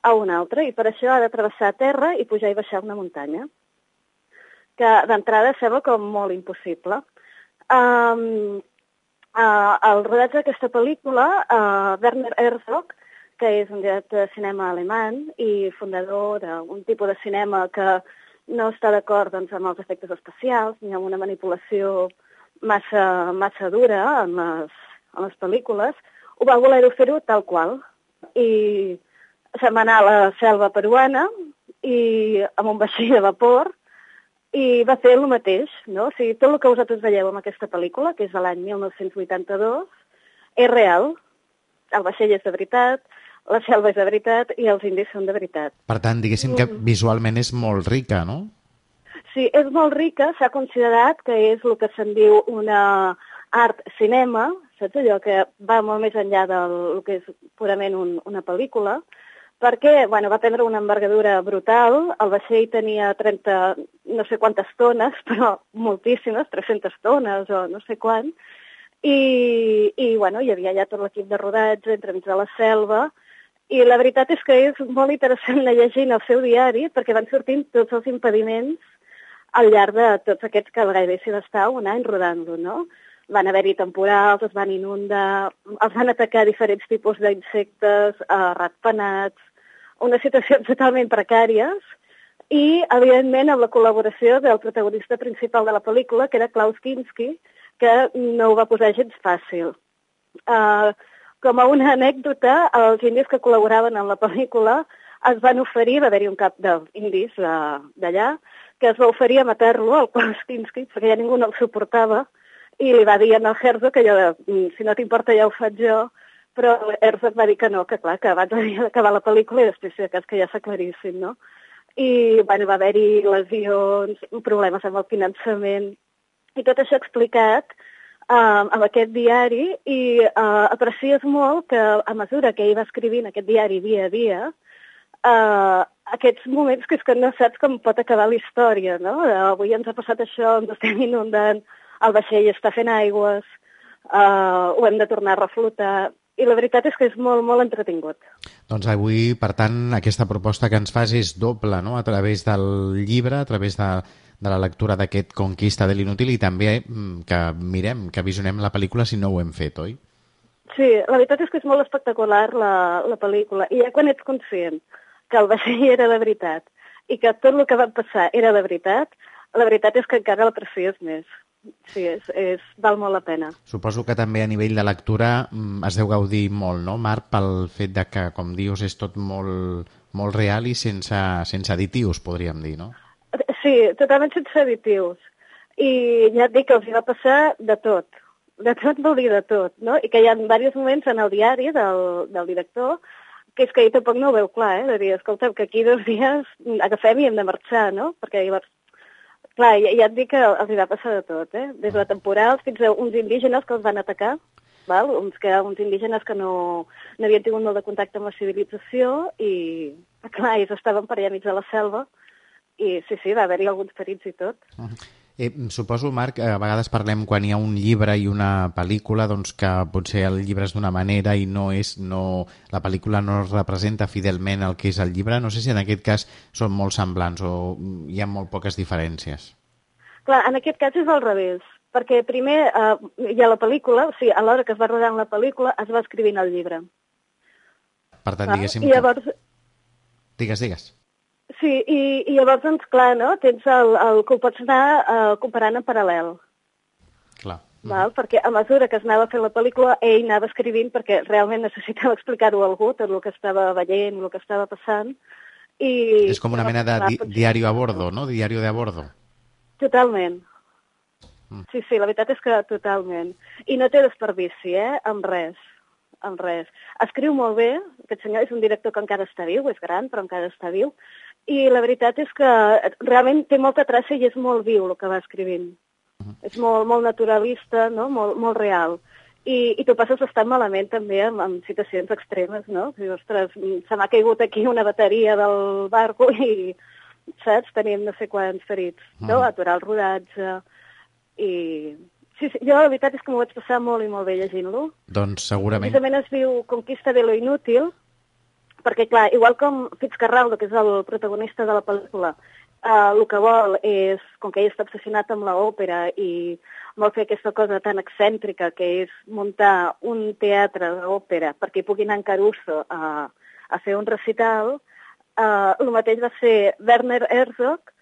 Speaker 6: a un altre, i per això ha de travessar terra i pujar i baixar una muntanya, que d'entrada sembla com molt impossible. Um, Uh, el rodatge d'aquesta pel·lícula, uh, Werner Herzog, que és un director de cinema alemany i fundador d'un tipus de cinema que no està d'acord doncs, amb els efectes especials ni amb una manipulació massa, massa dura en les, en les pel·lícules, ho va voler fer-ho tal qual. I se'n va anar a la selva peruana i amb un vaixell de vapor, i va fer el mateix, no? O sigui, tot el que vosaltres veieu en aquesta pel·lícula, que és de l'any mil nou-cents vuitanta-dos, és real. El vaixell és de veritat, la selva és de veritat i els indis són de veritat.
Speaker 4: Per tant, diguéssim que visualment és molt rica, no?
Speaker 6: Sí, és molt rica. S'ha considerat que és el que se'n diu una art-cinema, saps allò que va molt més enllà del que és purament un, una pel·lícula, perquè bueno, va prendre una envergadura brutal. El vaixell tenia trenta, no sé quantes tones, però moltíssimes, tres-centes tones o no sé quant, i, i bueno, hi havia ja tot l'equip de rodatge entremig de la selva, i la veritat és que és molt interessant anar llegint el seu diari, perquè van sortint tots els impediments al llarg de tots aquests que gairebé s'hi va estar un any rodant-lo, no? Van haver-hi temporals, es van inundar, els van atacar diferents tipus d'insectes, eh, ratpenats, unes situacions totalment precàries, i, evidentment, amb la col·laboració del protagonista principal de la pel·lícula, que era Klaus Kinski, que no ho va posar gens fàcil. Uh, com a una anècdota, els indis que col·laboraven en la pel·lícula es van oferir, va haver-hi un cap d'indis d'allà, que es va oferir a matar-lo, el Klaus Kinski, perquè ja ningú no el suportava, i li va dir al Herzog que allò de, si no t'importa ja ho faig jo, però Herzog va dir que no, que clar, que abans havia d'acabar la pel·lícula i després si de cas que ja s'aclarissin, no? I bueno, va haver-hi lesions, problemes amb el finançament, i tot això explicat uh, amb aquest diari, i uh, aprecies molt que a mesura que ell va escrivint aquest diari dia a dia, uh, aquests moments que és que no saps com pot acabar la història, no? Uh, avui ens ha passat això, ens estem inundant, el vaixell està fent aigües, uh, ho hem de tornar a reflotar, i la veritat és que és molt, molt entretingut.
Speaker 4: Doncs avui, per tant, aquesta proposta que ens fas és doble, no?, a través del llibre, a través de, de la lectura d'aquest Conquista de l'inútil, i també que mirem, que visionem la pel·lícula si no ho hem fet, oi?
Speaker 6: Sí, la veritat és que és molt espectacular la, la pel·lícula, i ja quan ets conscient que el vaixell era de veritat i que tot el que va passar era de veritat, la veritat és que encara l'aprecies més. sí, és, és, val molt la pena.
Speaker 4: Suposo que també a nivell de lectura es deu gaudir molt, no, Marc, pel fet de que, com dius, és tot molt, molt real i sense, sense additius, podríem dir, no?
Speaker 6: Sí, totalment sense additius. I ja et dic que els hi va passar de tot. De tot vol dir de tot, no? I que hi ha diversos moments en el diari del, del director que és que ell tampoc no ho veu clar, eh? De dir, escolta, que aquí dos dies agafem i hem de marxar, no? Perquè llavors, clar, ja, ja et dic que els hi va passar de tot, eh? Des de temporals fins a uns indígenes que els van atacar, val? Uns, que, uns indígenes que no, no havien tingut molt de contacte amb la civilització i, clar, ells estaven per allà mig de la selva i sí, sí, va haver-hi alguns ferits i tot.
Speaker 4: Uh-huh. Eh, suposo, Marc, a vegades parlem quan hi ha un llibre i una pel·lícula, doncs que potser el llibre és d'una manera i no és, no, la pel·lícula no representa fidelment el que és el llibre. No sé si en aquest cas són molt semblants o hi ha molt poques diferències.
Speaker 6: Clar, en aquest cas és al revés, perquè primer eh, hi ha la pel·lícula, o sigui, a l'hora que es va rodar la pel·lícula es va escrivint el llibre.
Speaker 4: Per tant, diguéssim...
Speaker 6: I llavors...
Speaker 4: Que... Digues, digues.
Speaker 6: Sí, i, i llavors, doncs, clar, no? Tens el, el que ho pots anar uh, comparant en paral·lel.
Speaker 4: Clar.
Speaker 6: Val? Mm. Perquè a mesura que es anava fent la pel·lícula, ell anava escrivint perquè realment necessitava explicar-ho a algú, tot el que estava veient, el que estava passant. I...
Speaker 4: És com una mena de di diari a bordo, no? Diari de a bordo.
Speaker 6: Totalment. Mm. Sí, sí, la veritat és que totalment. I no té desperdici, eh? Amb res. Amb res. Escriu molt bé, aquest senyor és un director que encara està viu, és gran, però encara està viu, i la veritat és que realment té molta traça i és molt viu el que va escrivint. Uh-huh. És molt, molt naturalista, no? Molt, molt real. I, i tu passes bastant malament també amb, amb situacions extremes, no? Dius, ostres, se m'ha caigut aquí una bateria del barco i, saps, tenim no sé quants ferits, no? Uh-huh. Aturar el rodatge i... Sí, sí, jo la veritat és que m'ho vaig passar molt i molt bé llegint-lo.
Speaker 4: Doncs segurament.
Speaker 6: Precisament es diu Conquista de lo inútil, perquè, clar, igual com Fitzcarraldo, que és el protagonista de la pel·lícula, eh, el que vol és, com que ell està obsessionat amb l'òpera i vol fer aquesta cosa tan excèntrica que és muntar un teatre d'òpera perquè hi pugui anar en Caruso a, a fer un recital, eh, el mateix va ser Werner Herzog,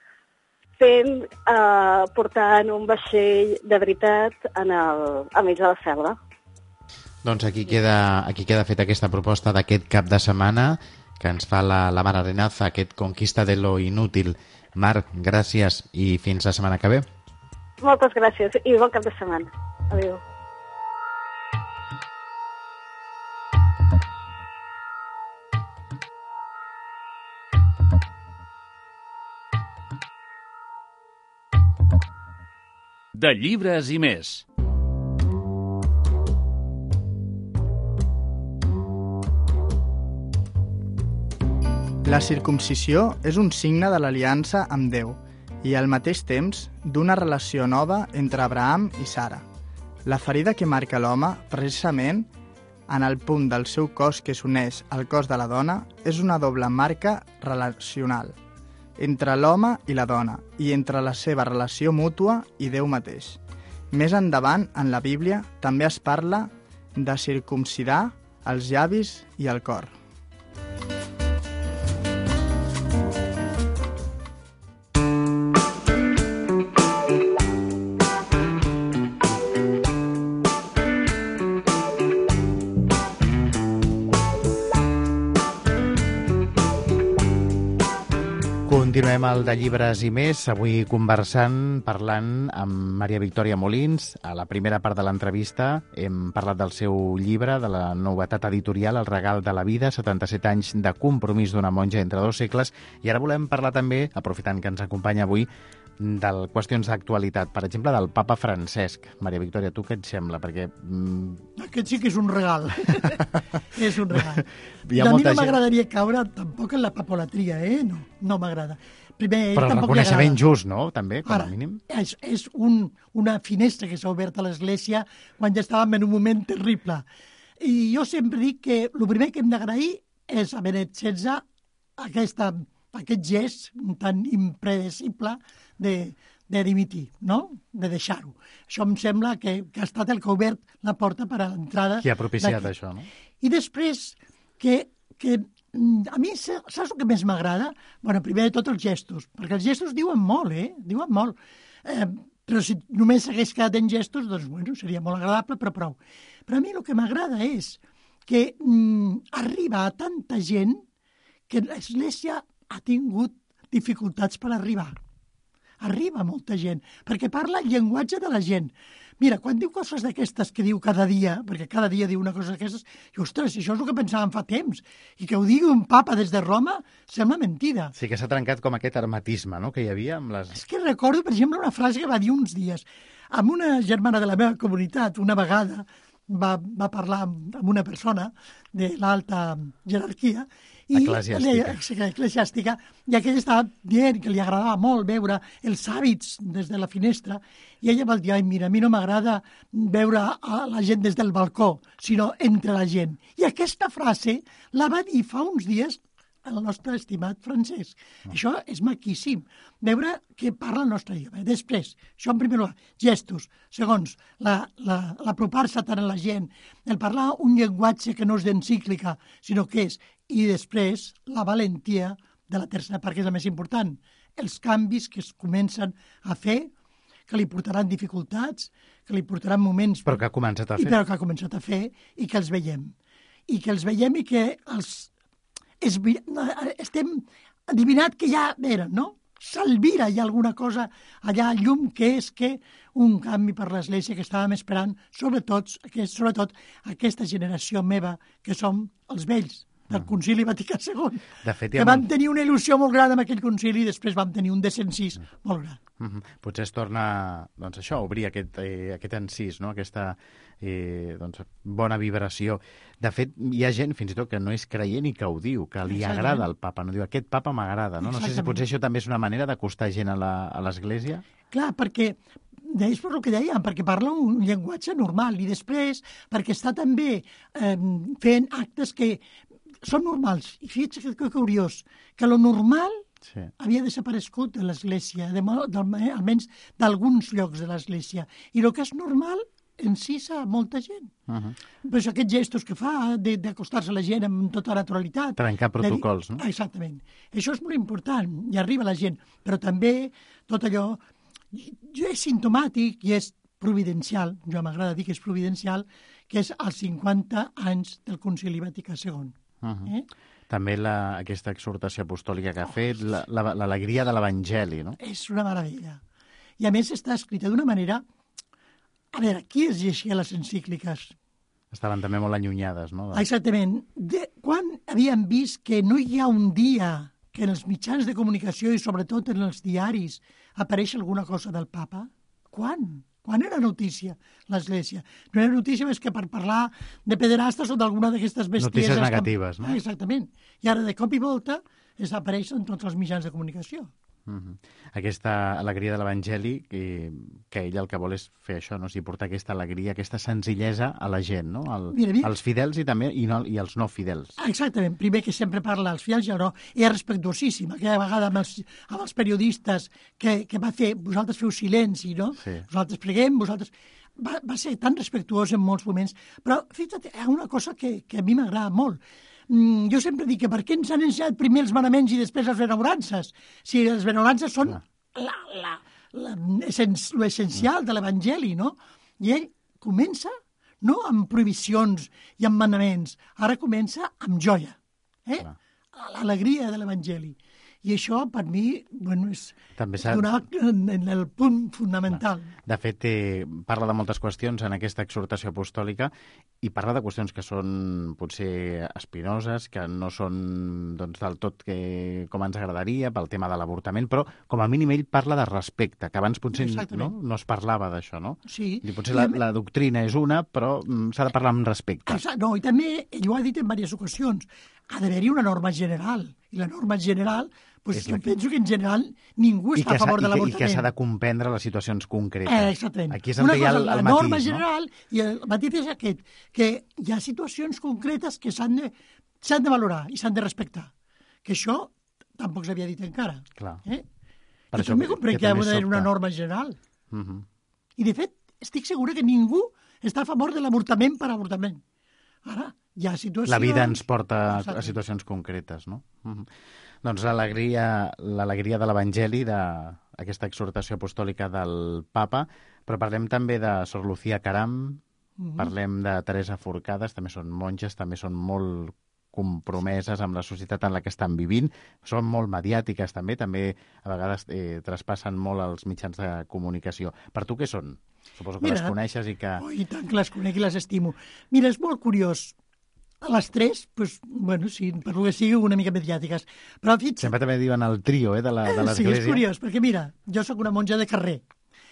Speaker 6: fent, eh, portant un vaixell de veritat en el, a mig de la selva.
Speaker 4: Doncs aquí queda, aquí queda feta aquesta proposta d'aquest cap de setmana que ens fa la, la Mar Arenaza, aquest Conquista de lo inútil. Marc, gràcies i fins la setmana que ve.
Speaker 6: Moltes gràcies i bon cap de setmana. Adéu.
Speaker 1: De llibres i més.
Speaker 3: La circumcisió és un signe de l'aliança amb Déu i al mateix temps d'una relació nova entre Abraham i Sara. La ferida que marca l'home, precisament, en el punt del seu cos que s'uneix al cos de la dona, és una doble marca relacional entre l'home i la dona i entre la seva relació mútua i Déu mateix. Més endavant, en la Bíblia, també es parla de circumcidar els llavis i el cor.
Speaker 4: Continuem el de llibres i més, avui conversant, parlant amb Maria Victòria Molins. A la primera part de l'entrevista hem parlat del seu llibre, de la novetat editorial El regal de la vida, setanta-set anys de compromís d'una monja entre dos segles, i ara volem parlar també, aprofitant que ens acompanya avui, de qüestions d'actualitat, per exemple, del papa Francesc. Maria Victòria, tu què et sembla? Perquè... Mm...
Speaker 5: Aquest sí que és un regal. És un regal.
Speaker 4: I
Speaker 5: a mi no
Speaker 4: gent...
Speaker 5: m'agradaria caure tampoc en la papolatria, eh? No, no m'agrada. Primer,
Speaker 4: Però el reconeixement just, no? També, com
Speaker 5: Ara,
Speaker 4: a mínim.
Speaker 5: És, és un, una finestra que s'ha obert a l'Església quan ja estàvem en un moment terrible. I jo sempre dic que el primer que hem d'agrair és a Benet setze aquesta, aquest gest tan impredecible de, de dimitir, no? De deixar-ho. Això em sembla que, que ha estat el que ha obert la porta per a l'entrada.
Speaker 4: Qui ha propiciat això, no?
Speaker 5: I després, que, que a mi, saps el que més m'agrada? Bueno, primer de tot els gestos, perquè els gestos diuen molt, eh? Diuen molt. Eh, Però si només s'hagués quedat en gestos, doncs, bueno, seria molt agradable, però prou. Però a mi el que m'agrada és que mm, arriba a tanta gent que l'Església ha tingut dificultats per arribar. Arriba molta gent, perquè parla el llenguatge de la gent. Mira, quan diu coses d'aquestes que diu cada dia, perquè cada dia diu una cosa d'aquestes, i ostres, això és el que pensàvem fa temps, i que ho digui un papa des de Roma, sembla mentida.
Speaker 4: Sí que s'ha trencat com aquest hermetisme, no?, que hi havia amb les...
Speaker 5: És que recordo, per exemple, una frase que va dir uns dies, amb una germana de la meva comunitat, una vegada, va, va parlar amb, amb una persona de l'alta jerarquia, i
Speaker 4: eclesiàstica.
Speaker 5: eclesiàstica, i aquella estava dient que li agradava molt veure els hàbits des de la finestra, i ella va dir, ai, mira, a mi no m'agrada veure a la gent des del balcó, sinó entre la gent. I aquesta frase la va dir fa uns dies el nostre estimat Francesc. Mm. Això és maquíssim, veure que parla el nostre idioma. Després, això en primer lloc, gestos. Segons, l'apropar-se tant a la gent, el parlar un llenguatge que no és d'encíclica, sinó que és, i després la valentia de la tercera part, que és la més important, els canvis que es comencen a fer, que li portaran dificultats, que li portaran moments...
Speaker 4: Però que ha començat a fer.
Speaker 5: I però que ha començat a fer, i que els veiem. I que els veiem i que els... Es, estem adivinat que ja eren, no? S'alvira, hi ha alguna cosa allà, llum, que és que un canvi per l'Església que estàvem esperant, sobretot, que sobretot aquesta generació meva, que som els vells del Concili Vaticà segon,
Speaker 4: de fet,
Speaker 5: que vam tenir una il·lusió molt gran amb aquell concili i després vam tenir un desencís molt gran.
Speaker 4: Mm-hmm. Potser es torna, doncs això, a obrir aquest, eh, aquest encís, no? Aquesta eh, doncs, bona vibració. De fet, hi ha gent, fins i tot, que no és creient i que ho diu, que li
Speaker 5: Exactament.
Speaker 4: agrada el papa, no diu, aquest papa m'agrada, no? No sé si potser això també és una manera d'acostar gent a l'Església.
Speaker 5: Clar, perquè és per el que dèiem, perquè parla un llenguatge normal i després perquè està també eh, fent actes que són normals. I fixa't que, que curiós, que lo normal sí. havia desaparegut de l'Església, de, de, almenys d'alguns llocs de l'Església. I el que és normal encisa molta gent. Uh-huh. Pues aquests gestos que fa d'acostar-se a la gent amb tota naturalitat.
Speaker 4: Trencar protocols,
Speaker 5: de...
Speaker 4: no?
Speaker 5: Exactament. Això és molt important i arriba a la gent. Però també tot allò jo és simptomàtic i és providencial, jo m'agrada dir que és providencial, que és als cinquanta anys del Concili Vaticà segon.
Speaker 4: Uh-huh. eh? També la, aquesta exhortació apostòlica que ha fet, l'alegria de l'Evangeli, no?
Speaker 5: És una meravella. I a més està escrita d'una manera... A veure, qui es llegia les encícliques?
Speaker 4: Estaven també molt allunyades, no? De...
Speaker 5: Exactament. De, quan havíem vist que no hi ha un dia que en els mitjans de comunicació i sobretot en els diaris apareix alguna cosa del papa? Quan? Quan era notícia l'Església? No era notícia més que per parlar de pederastes o d'alguna d'aquestes bestieses...
Speaker 4: Notícies negatives, que... no?
Speaker 5: Ah, exactament. I ara, de cop i volta, desapareixen tots els mitjans de comunicació.
Speaker 4: Uh-huh. Aquesta alegria de l'Evangeli, que, que ell el que vol és fer això, no? O sigui, portar aquesta alegria, aquesta senzillesa a la gent, no? Al,
Speaker 5: mira, mira.
Speaker 4: Als fidels i també i, no, i als no fidels.
Speaker 5: Exactament. Primer que sempre parla als fidels i al no. I és respectuosíssim. Aquella vegada amb els, amb els periodistes que, que va fer, vosaltres feu silenci, no?
Speaker 4: Sí.
Speaker 5: Vosaltres preguem, vosaltres... Va, va ser tan respectuós en molts moments. Però, fixa't, hi ha una cosa que, que a mi m'agrada molt. Mm, jo sempre dic que per què ens han ensenyat primer els manaments i després les benaurances? Si les benaurances són ah. la, la, la, l'essencial de l'Evangeli, no? I ell comença no amb prohibicions i amb manaments, ara comença amb joia, eh? Ah. L'alegria de l'Evangeli. I això, per mi, bueno, és donar en el punt fonamental.
Speaker 4: De fet, eh, parla de moltes qüestions en aquesta exhortació apostòlica i parla de qüestions que són potser espinoses, que no són doncs, del tot que, com ens agradaria pel tema de l'avortament, però com a mínim ell parla de respecte, que abans potser no, no es parlava d'això, no?
Speaker 5: Sí.
Speaker 4: I potser la, la doctrina és una, però mm, s'ha de parlar amb respecte.
Speaker 5: Exacte. No, i també, ell ho ha dit en diverses ocasions, ha d'haver-hi una norma general, i la norma general, pues, jo que... penso que en general ningú està a favor de l'avortament.
Speaker 4: I que s'ha de comprendre les situacions concretes.
Speaker 5: Eh, exactament.
Speaker 4: Aquí és on hi ha el, el
Speaker 5: la
Speaker 4: matís,
Speaker 5: norma
Speaker 4: no?
Speaker 5: general, i el matís és aquest, que hi ha situacions concretes que s'han de, s'han de valorar i s'han de respectar. Que això tampoc s'havia dit encara.
Speaker 4: Clar.
Speaker 5: Eh?
Speaker 4: Per
Speaker 5: jo també comprenc que, que hi ha d'haver una norma general.
Speaker 4: Uh -huh.
Speaker 5: I, de fet, estic segura que ningú està a favor de l'avortament per avortament. Ara, hi ha situacions...
Speaker 4: La vida ens porta a situacions concretes, no? Uh-huh. Doncs l'alegria l'alegria de l'Evangeli, de aquesta exhortació apostòlica del papa, però parlem també de Sor Lucía Caram, mm-hmm. parlem de Teresa Forcades, també són monges, també són molt compromeses amb la societat en la que estan vivint, són molt mediàtiques també, també a vegades eh, traspassen molt els mitjans de comunicació. Per tu què són? Suposo que Mira, les coneixes i que...
Speaker 5: Oh, i tant que les conec i les estimo. Mira, és molt curiós. A les tres, pues, bueno, sí, per lo que sigui, una mica mediàtiques. Però fixa't...
Speaker 4: Sempre també diuen el trio eh, de l'església.
Speaker 5: Sí, és curiós, perquè mira, jo sóc una monja de carrer.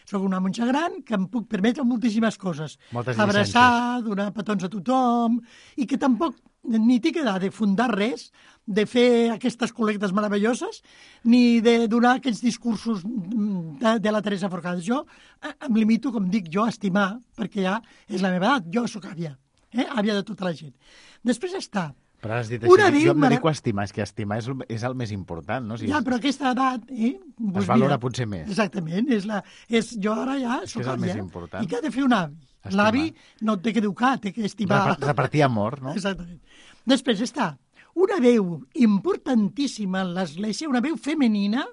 Speaker 5: Soc una monja gran que em puc permetre moltíssimes coses.
Speaker 4: Moltes
Speaker 5: Abraçar, donar petons a tothom, i que tampoc ni tinc edat de fundar res, de fer aquestes col·lectes meravelloses, ni de donar aquests discursos de, de la Teresa Forcades. Jo em limito, com dic jo, a estimar, perquè ja és la meva edat, jo sóc àvia, eh? àvia de tota la gent. Després està...
Speaker 4: Però has dit així, jo em dedico a estimar, és que estimar és, és el més important, no? Si
Speaker 5: ja,
Speaker 4: és...
Speaker 5: però aquesta edat... Eh,
Speaker 4: doncs es valora mira, potser més.
Speaker 5: Exactament, és la, és, jo ara ja
Speaker 4: és
Speaker 5: soc
Speaker 4: és el
Speaker 5: àvia.
Speaker 4: Més important.
Speaker 5: I què ha de fer un avi? L'avi no té que educar, té que estimar.
Speaker 4: Repartir amor, no?
Speaker 5: Exactament. Després està una veu importantíssima en l'Església, una veu femenina,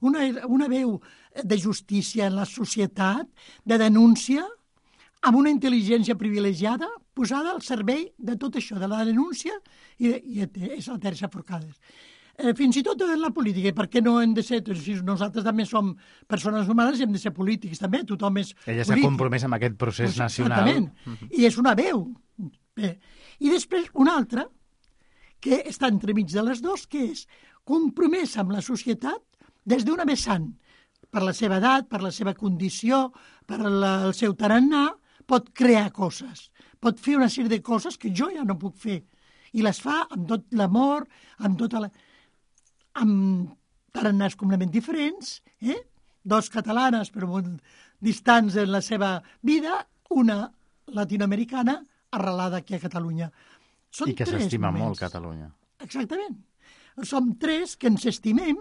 Speaker 5: una, una veu de justícia en la societat, de denúncia, amb una intel·ligència privilegiada posada al servei de tot això, de la denúncia, i, de, i és la Teresa Forcades. Eh, fins i tot en la política, per què no hem de ser... Nosaltres també som persones humanes i hem de ser polítics, també, tothom és
Speaker 4: Ella s'ha compromès amb aquest procés pues, nacional.
Speaker 5: Exactament, uh-huh. I és una veu. Bé. I després una altra, que està entremig de les dues, que és compromesa amb la societat des d'una vessant, per la seva edat, per la seva condició, per la, el seu tarannà, pot crear coses, pot fer una sèrie de coses que jo ja no puc fer. I les fa amb tot l'amor, amb tota la... amb tarannàs completament diferents, eh? Dos catalanes però molt distants en la seva vida, una latinoamericana arrelada aquí a Catalunya. Són
Speaker 4: I que s'estima molt Catalunya.
Speaker 5: Exactament. Som tres que ens estimem,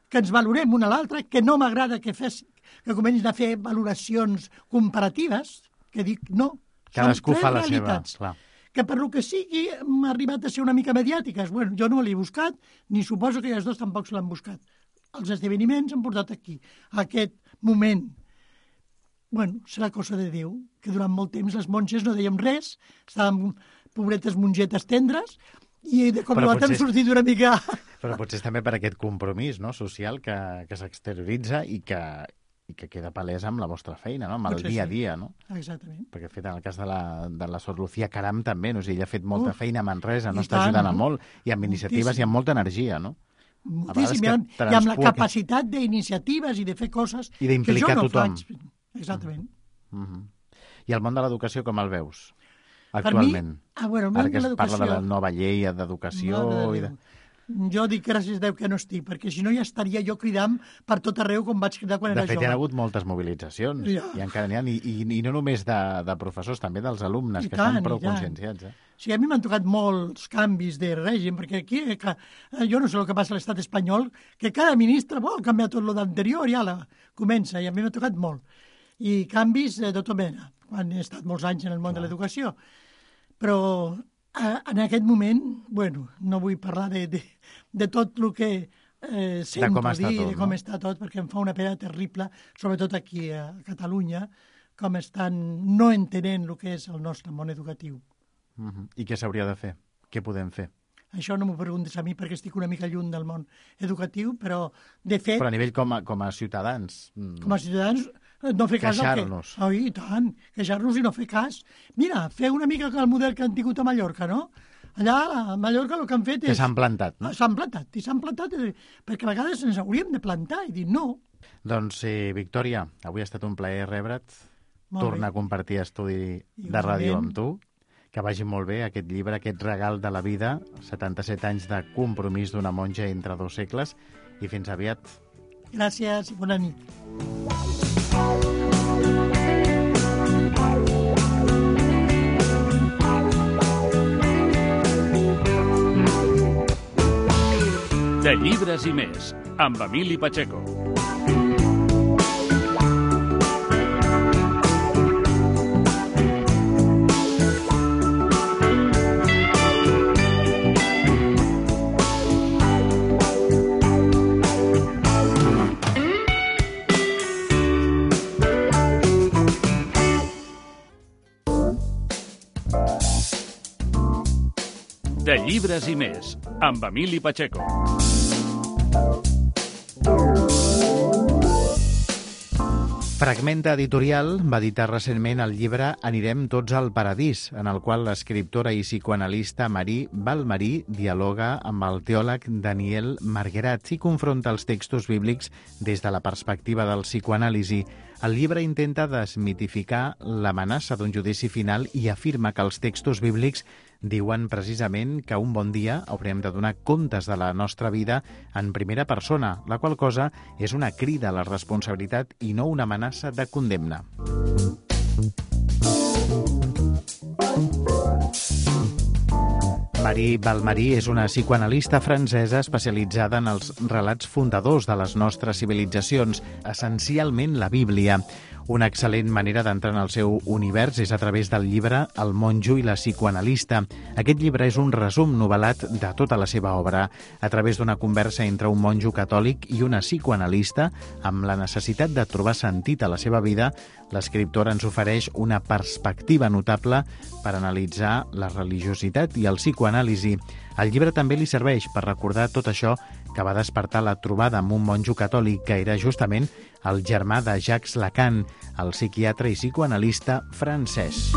Speaker 5: que ens valorem una a l'altra, que no m'agrada que, fes, que comencin a fer valoracions comparatives, que dic no.
Speaker 4: Cadascú fa la
Speaker 5: realitats,
Speaker 4: seva, clar.
Speaker 5: Que per lo que sigui m'ha arribat a ser una mica mediàtiques. Bueno, jo no l'he buscat, ni suposo que els dos tampoc se l'han buscat. Els esdeveniments han portat aquí, a aquest moment. Bueno, serà cosa de Déu, que durant molt temps les monges no dèiem res, estàvem pobretes mongetes tendres, i de cop i volta hem sortit una mica...
Speaker 4: Però potser també per aquest compromís, no?, social que, que s'exterioritza i que, i que queda palès amb la vostra feina, no?, amb el
Speaker 5: potser
Speaker 4: dia a
Speaker 5: sí.
Speaker 4: dia, no?
Speaker 5: Exactament.
Speaker 4: Perquè, fet, en el cas de la, de la Sor Lucía Caram també, no? O sigui, ella ha fet molta
Speaker 5: Uf,
Speaker 4: feina a Manresa, no?
Speaker 5: i
Speaker 4: Està
Speaker 5: tant,
Speaker 4: ajudant a
Speaker 5: no?
Speaker 4: molt, i amb iniciatives
Speaker 5: Moltíssim.
Speaker 4: i amb molta energia, no?
Speaker 5: Moltíssim, i amb, i amb la capacitat d'iniciatives i de fer coses
Speaker 4: I d'implicar
Speaker 5: que jo no
Speaker 4: tothom.
Speaker 5: faig. Exactament.
Speaker 4: Mm -hmm. I el món de l'educació com el veus,
Speaker 5: Per
Speaker 4: actualment?
Speaker 5: mi, ah, bueno, el món
Speaker 4: Ara que
Speaker 5: de
Speaker 4: es parla de la
Speaker 5: l'educació...
Speaker 4: nova llei d'educació...
Speaker 5: de
Speaker 4: I de...
Speaker 5: Jo dic gràcies a Déu que no estic, perquè si no ja estaria jo cridant per tot arreu com vaig cridar quan
Speaker 4: De
Speaker 5: era
Speaker 4: fet,
Speaker 5: jove.
Speaker 4: hi ha hagut moltes mobilitzacions,
Speaker 5: Ja.
Speaker 4: i encara n'hi ha, i, i, i no només de, de professors, també dels alumnes,
Speaker 5: I
Speaker 4: que
Speaker 5: tant,
Speaker 4: estan prou
Speaker 5: i tant.
Speaker 4: conscienciats. Eh?
Speaker 5: Sí, a mi m'han tocat molts canvis de règim, perquè aquí, eh, que, eh, jo no sé el que passa a l'estat espanyol, que cada ministre vol canviar tot el d'anterior i ala, comença, i a mi m'ha tocat molt. I canvis de tota mena, quan he estat molts anys en el món de l'educació. Però eh, en aquest moment, bueno, no vull parlar de, de, de tot el que eh, sento
Speaker 4: com
Speaker 5: dir,
Speaker 4: està tot,
Speaker 5: de com
Speaker 4: no?
Speaker 5: està tot, perquè em fa una pena terrible, sobretot aquí a Catalunya, com estan no entenent el que és el nostre món educatiu.
Speaker 4: Uh -huh. I què s'hauria de fer? Què podem fer?
Speaker 5: Això no m'ho preguntes a mi perquè estic una mica lluny del món educatiu, però de fet...
Speaker 4: Però a nivell com a, com a ciutadans...
Speaker 5: Com a ciutadans, no fer cas al que...
Speaker 4: Queixar-nos.
Speaker 5: Oh, i tant, queixar-nos i no fer cas. Mira, fer una mica el model que han tingut a Mallorca, no? Allà, a Mallorca, el que han fet és...
Speaker 4: Que s'han plantat, no?
Speaker 5: S'han plantat, i s'han plantat, eh, perquè a vegades ens hauríem de plantar i dir no.
Speaker 4: Doncs, eh, Victòria, avui ha estat un plaer rebre't,
Speaker 5: Molt
Speaker 4: tornar
Speaker 5: bé.
Speaker 4: a compartir estudi de
Speaker 5: Igualment.
Speaker 4: ràdio amb tu, que vagi molt bé aquest llibre, aquest regal de la vida, setanta-set anys de compromís d'una monja entre dos segles, i fins aviat.
Speaker 5: Gràcies i bona nit.
Speaker 1: De llibres i més, amb Emili Pacheco. Llibres i més, amb Emili Pacheco.
Speaker 4: Fragmenta Editorial va editar recentment el llibre Anirem tots al paradís, en el qual l'escriptora i psicoanalista Marie Balmarí dialoga amb el teòleg Daniel Marguerat i confronta els textos bíblics des de la perspectiva del psicoanàlisi. El llibre intenta desmitificar l'amenaça d'un judici final i afirma que els textos bíblics diuen precisament que un bon dia haurem de donar comptes de la nostra vida en primera persona, la qual cosa és una crida a la responsabilitat i no una amenaça de condemna. Marie Balmarí és una psicoanalista francesa especialitzada en els relats fundadors de les nostres civilitzacions, essencialment la Bíblia. Una excel·lent manera d'entrar en el seu univers és a través del llibre El monjo i la psicoanalista. Aquest llibre és un resum novel·lat de tota la seva obra, a través d'una conversa entre un monjo catòlic i una psicoanalista, amb la necessitat de trobar sentit a la seva vida. L'escriptora ens ofereix una perspectiva notable per analitzar la religiositat i el psicoanàlisi. El llibre també li serveix per recordar tot això que va despertar la trobada amb un monjo catòlic que era justament el germà de Jacques Lacan, el psiquiatre i psicoanalista francès.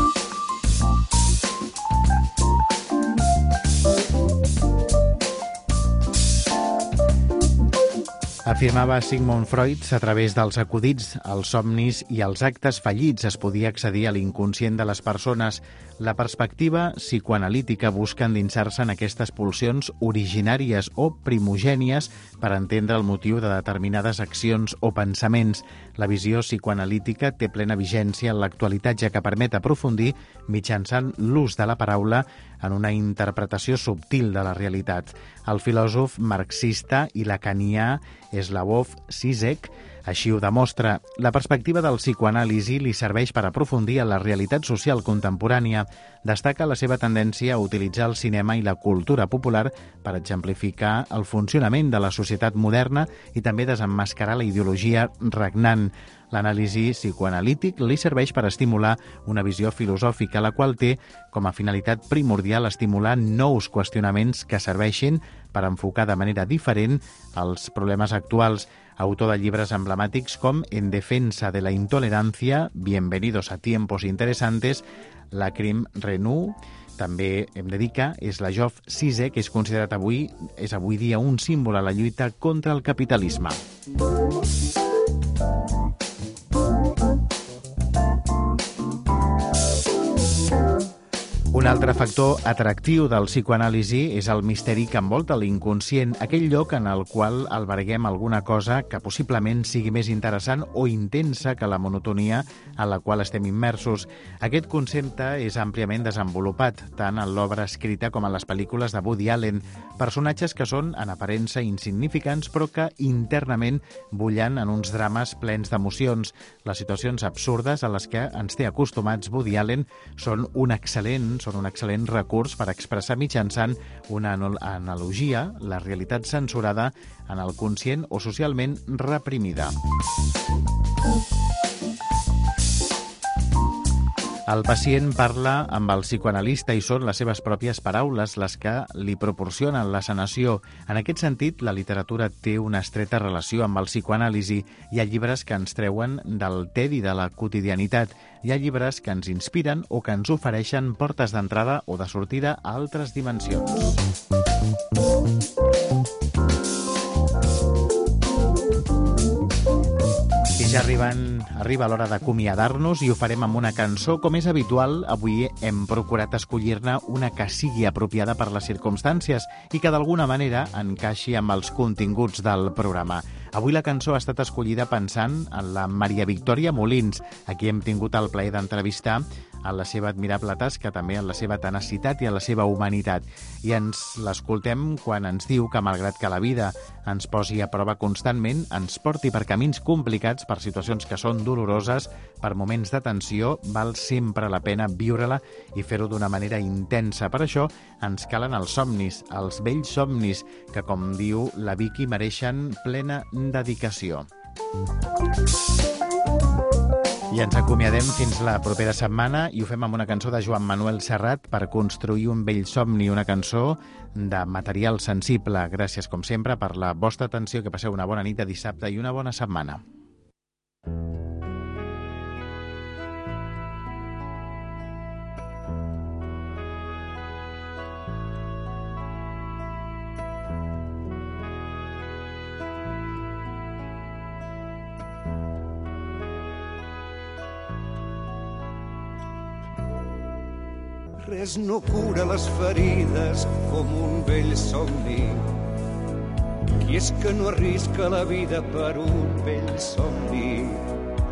Speaker 4: Afirmava Sigmund Freud, a través dels acudits, els somnis i els actes fallits es podia accedir a l'inconscient de les persones. La perspectiva psicoanalítica busca endinsar-se en aquestes pulsions originàries o primogènies per entendre el motiu de determinades accions o pensaments. La visió psicoanalítica té plena vigència en l'actualitat, ja que permet aprofundir mitjançant l'ús de la paraula en una interpretació subtil de la realitat. El filòsof marxista i lacanià Slavoj Zizek així ho demostra. La perspectiva del psicoanàlisi li serveix per aprofundir en la realitat social contemporània. Destaca la seva tendència a utilitzar el cinema i la cultura popular per exemplificar el funcionament de la societat moderna i també desemmascarar la ideologia regnant. L'anàlisi psicoanalític li serveix per estimular una visió filosòfica, la qual té com a finalitat primordial estimular nous qüestionaments que serveixin per enfocar de manera diferent els problemes actuals. Autor de llibres emblemàtics com En defensa de la intolerancia, Bienvenidos a tiempos interesantes, Lacrim Renou. També hem de dir que Slavoj Zizek és considerat avui, és avui dia un símbol a la lluita contra el capitalisme. Un altre factor atractiu del psicoanàlisi és el misteri que envolta l'inconscient, aquell lloc en el qual alberguem alguna cosa que possiblement sigui més interessant o intensa que la monotonia en la qual estem immersos. Aquest concepte és àmpliament desenvolupat, tant en l'obra escrita com en les pel·lícules de Woody Allen, personatges que són en aparença insignificants però que internament bullen en uns drames plens d'emocions. Les situacions absurdes a les que ens té acostumats Woody Allen són un excel·lent són un excel·lent recurs per expressar mitjançant una analogia la realitat censurada en el conscient o socialment reprimida. El pacient parla amb el psicoanalista i són les seves pròpies paraules les que li proporcionen la sanació. En aquest sentit, la literatura té una estreta relació amb el psicoanàlisi. Hi ha llibres que ens treuen del tedi de la quotidianitat. Hi ha llibres que ens inspiren o que ens ofereixen portes d'entrada o de sortida a altres dimensions. I ja arriben, arriba l'hora d'acomiadar-nos i ho farem amb una cançó. Com és habitual, avui hem procurat escollir-ne una que sigui apropiada per les circumstàncies i que d'alguna manera encaixi amb els continguts del programa. Avui la cançó ha estat escollida pensant en la Maria Victòria Molins, a qui hem tingut el plaer d'entrevistar en la seva admirable tasca, també en la seva tenacitat i en la seva humanitat. I ens l'escoltem quan ens diu que, malgrat que la vida ens posi a prova constantment, ens porti per camins complicats, per situacions que són doloroses, per moments de tensió, val sempre la pena viure-la i fer-ho d'una manera intensa. Per això ens calen els somnis, els vells somnis, que, com diu la Vicky, mereixen plena dedicació. I ens acomiadem fins la propera setmana i ho fem amb una cançó de Joan Manuel Serrat, Per construir un vell somni, una cançó de material sensible. Gràcies, com sempre, per la vostra atenció, que passeu una bona nit de dissabte i una bona setmana.
Speaker 7: Res no cura les ferides com un vell somni. Qui és que no arrisca la vida per un vell somni?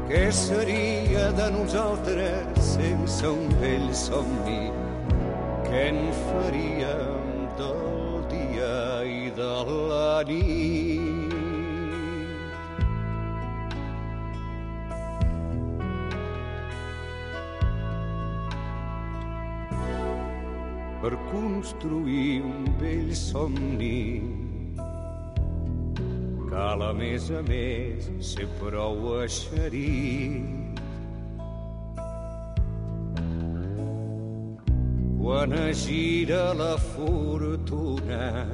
Speaker 7: Què seria de nosaltres sense un vell somni? Què en faríem del dia i de la nit? Per construir un vell somni cal, a més a més, ser prou eixerit. Quan es gira la fortuna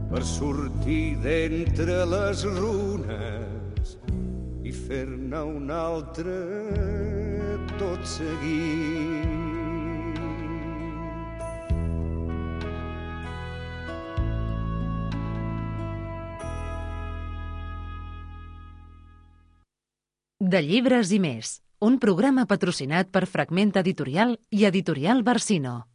Speaker 7: per sortir d'entre les runes i fer-ne un altre tot seguit.
Speaker 2: De llibres i més, un programa patrocinat per Fragment Editorial i Editorial Barsino.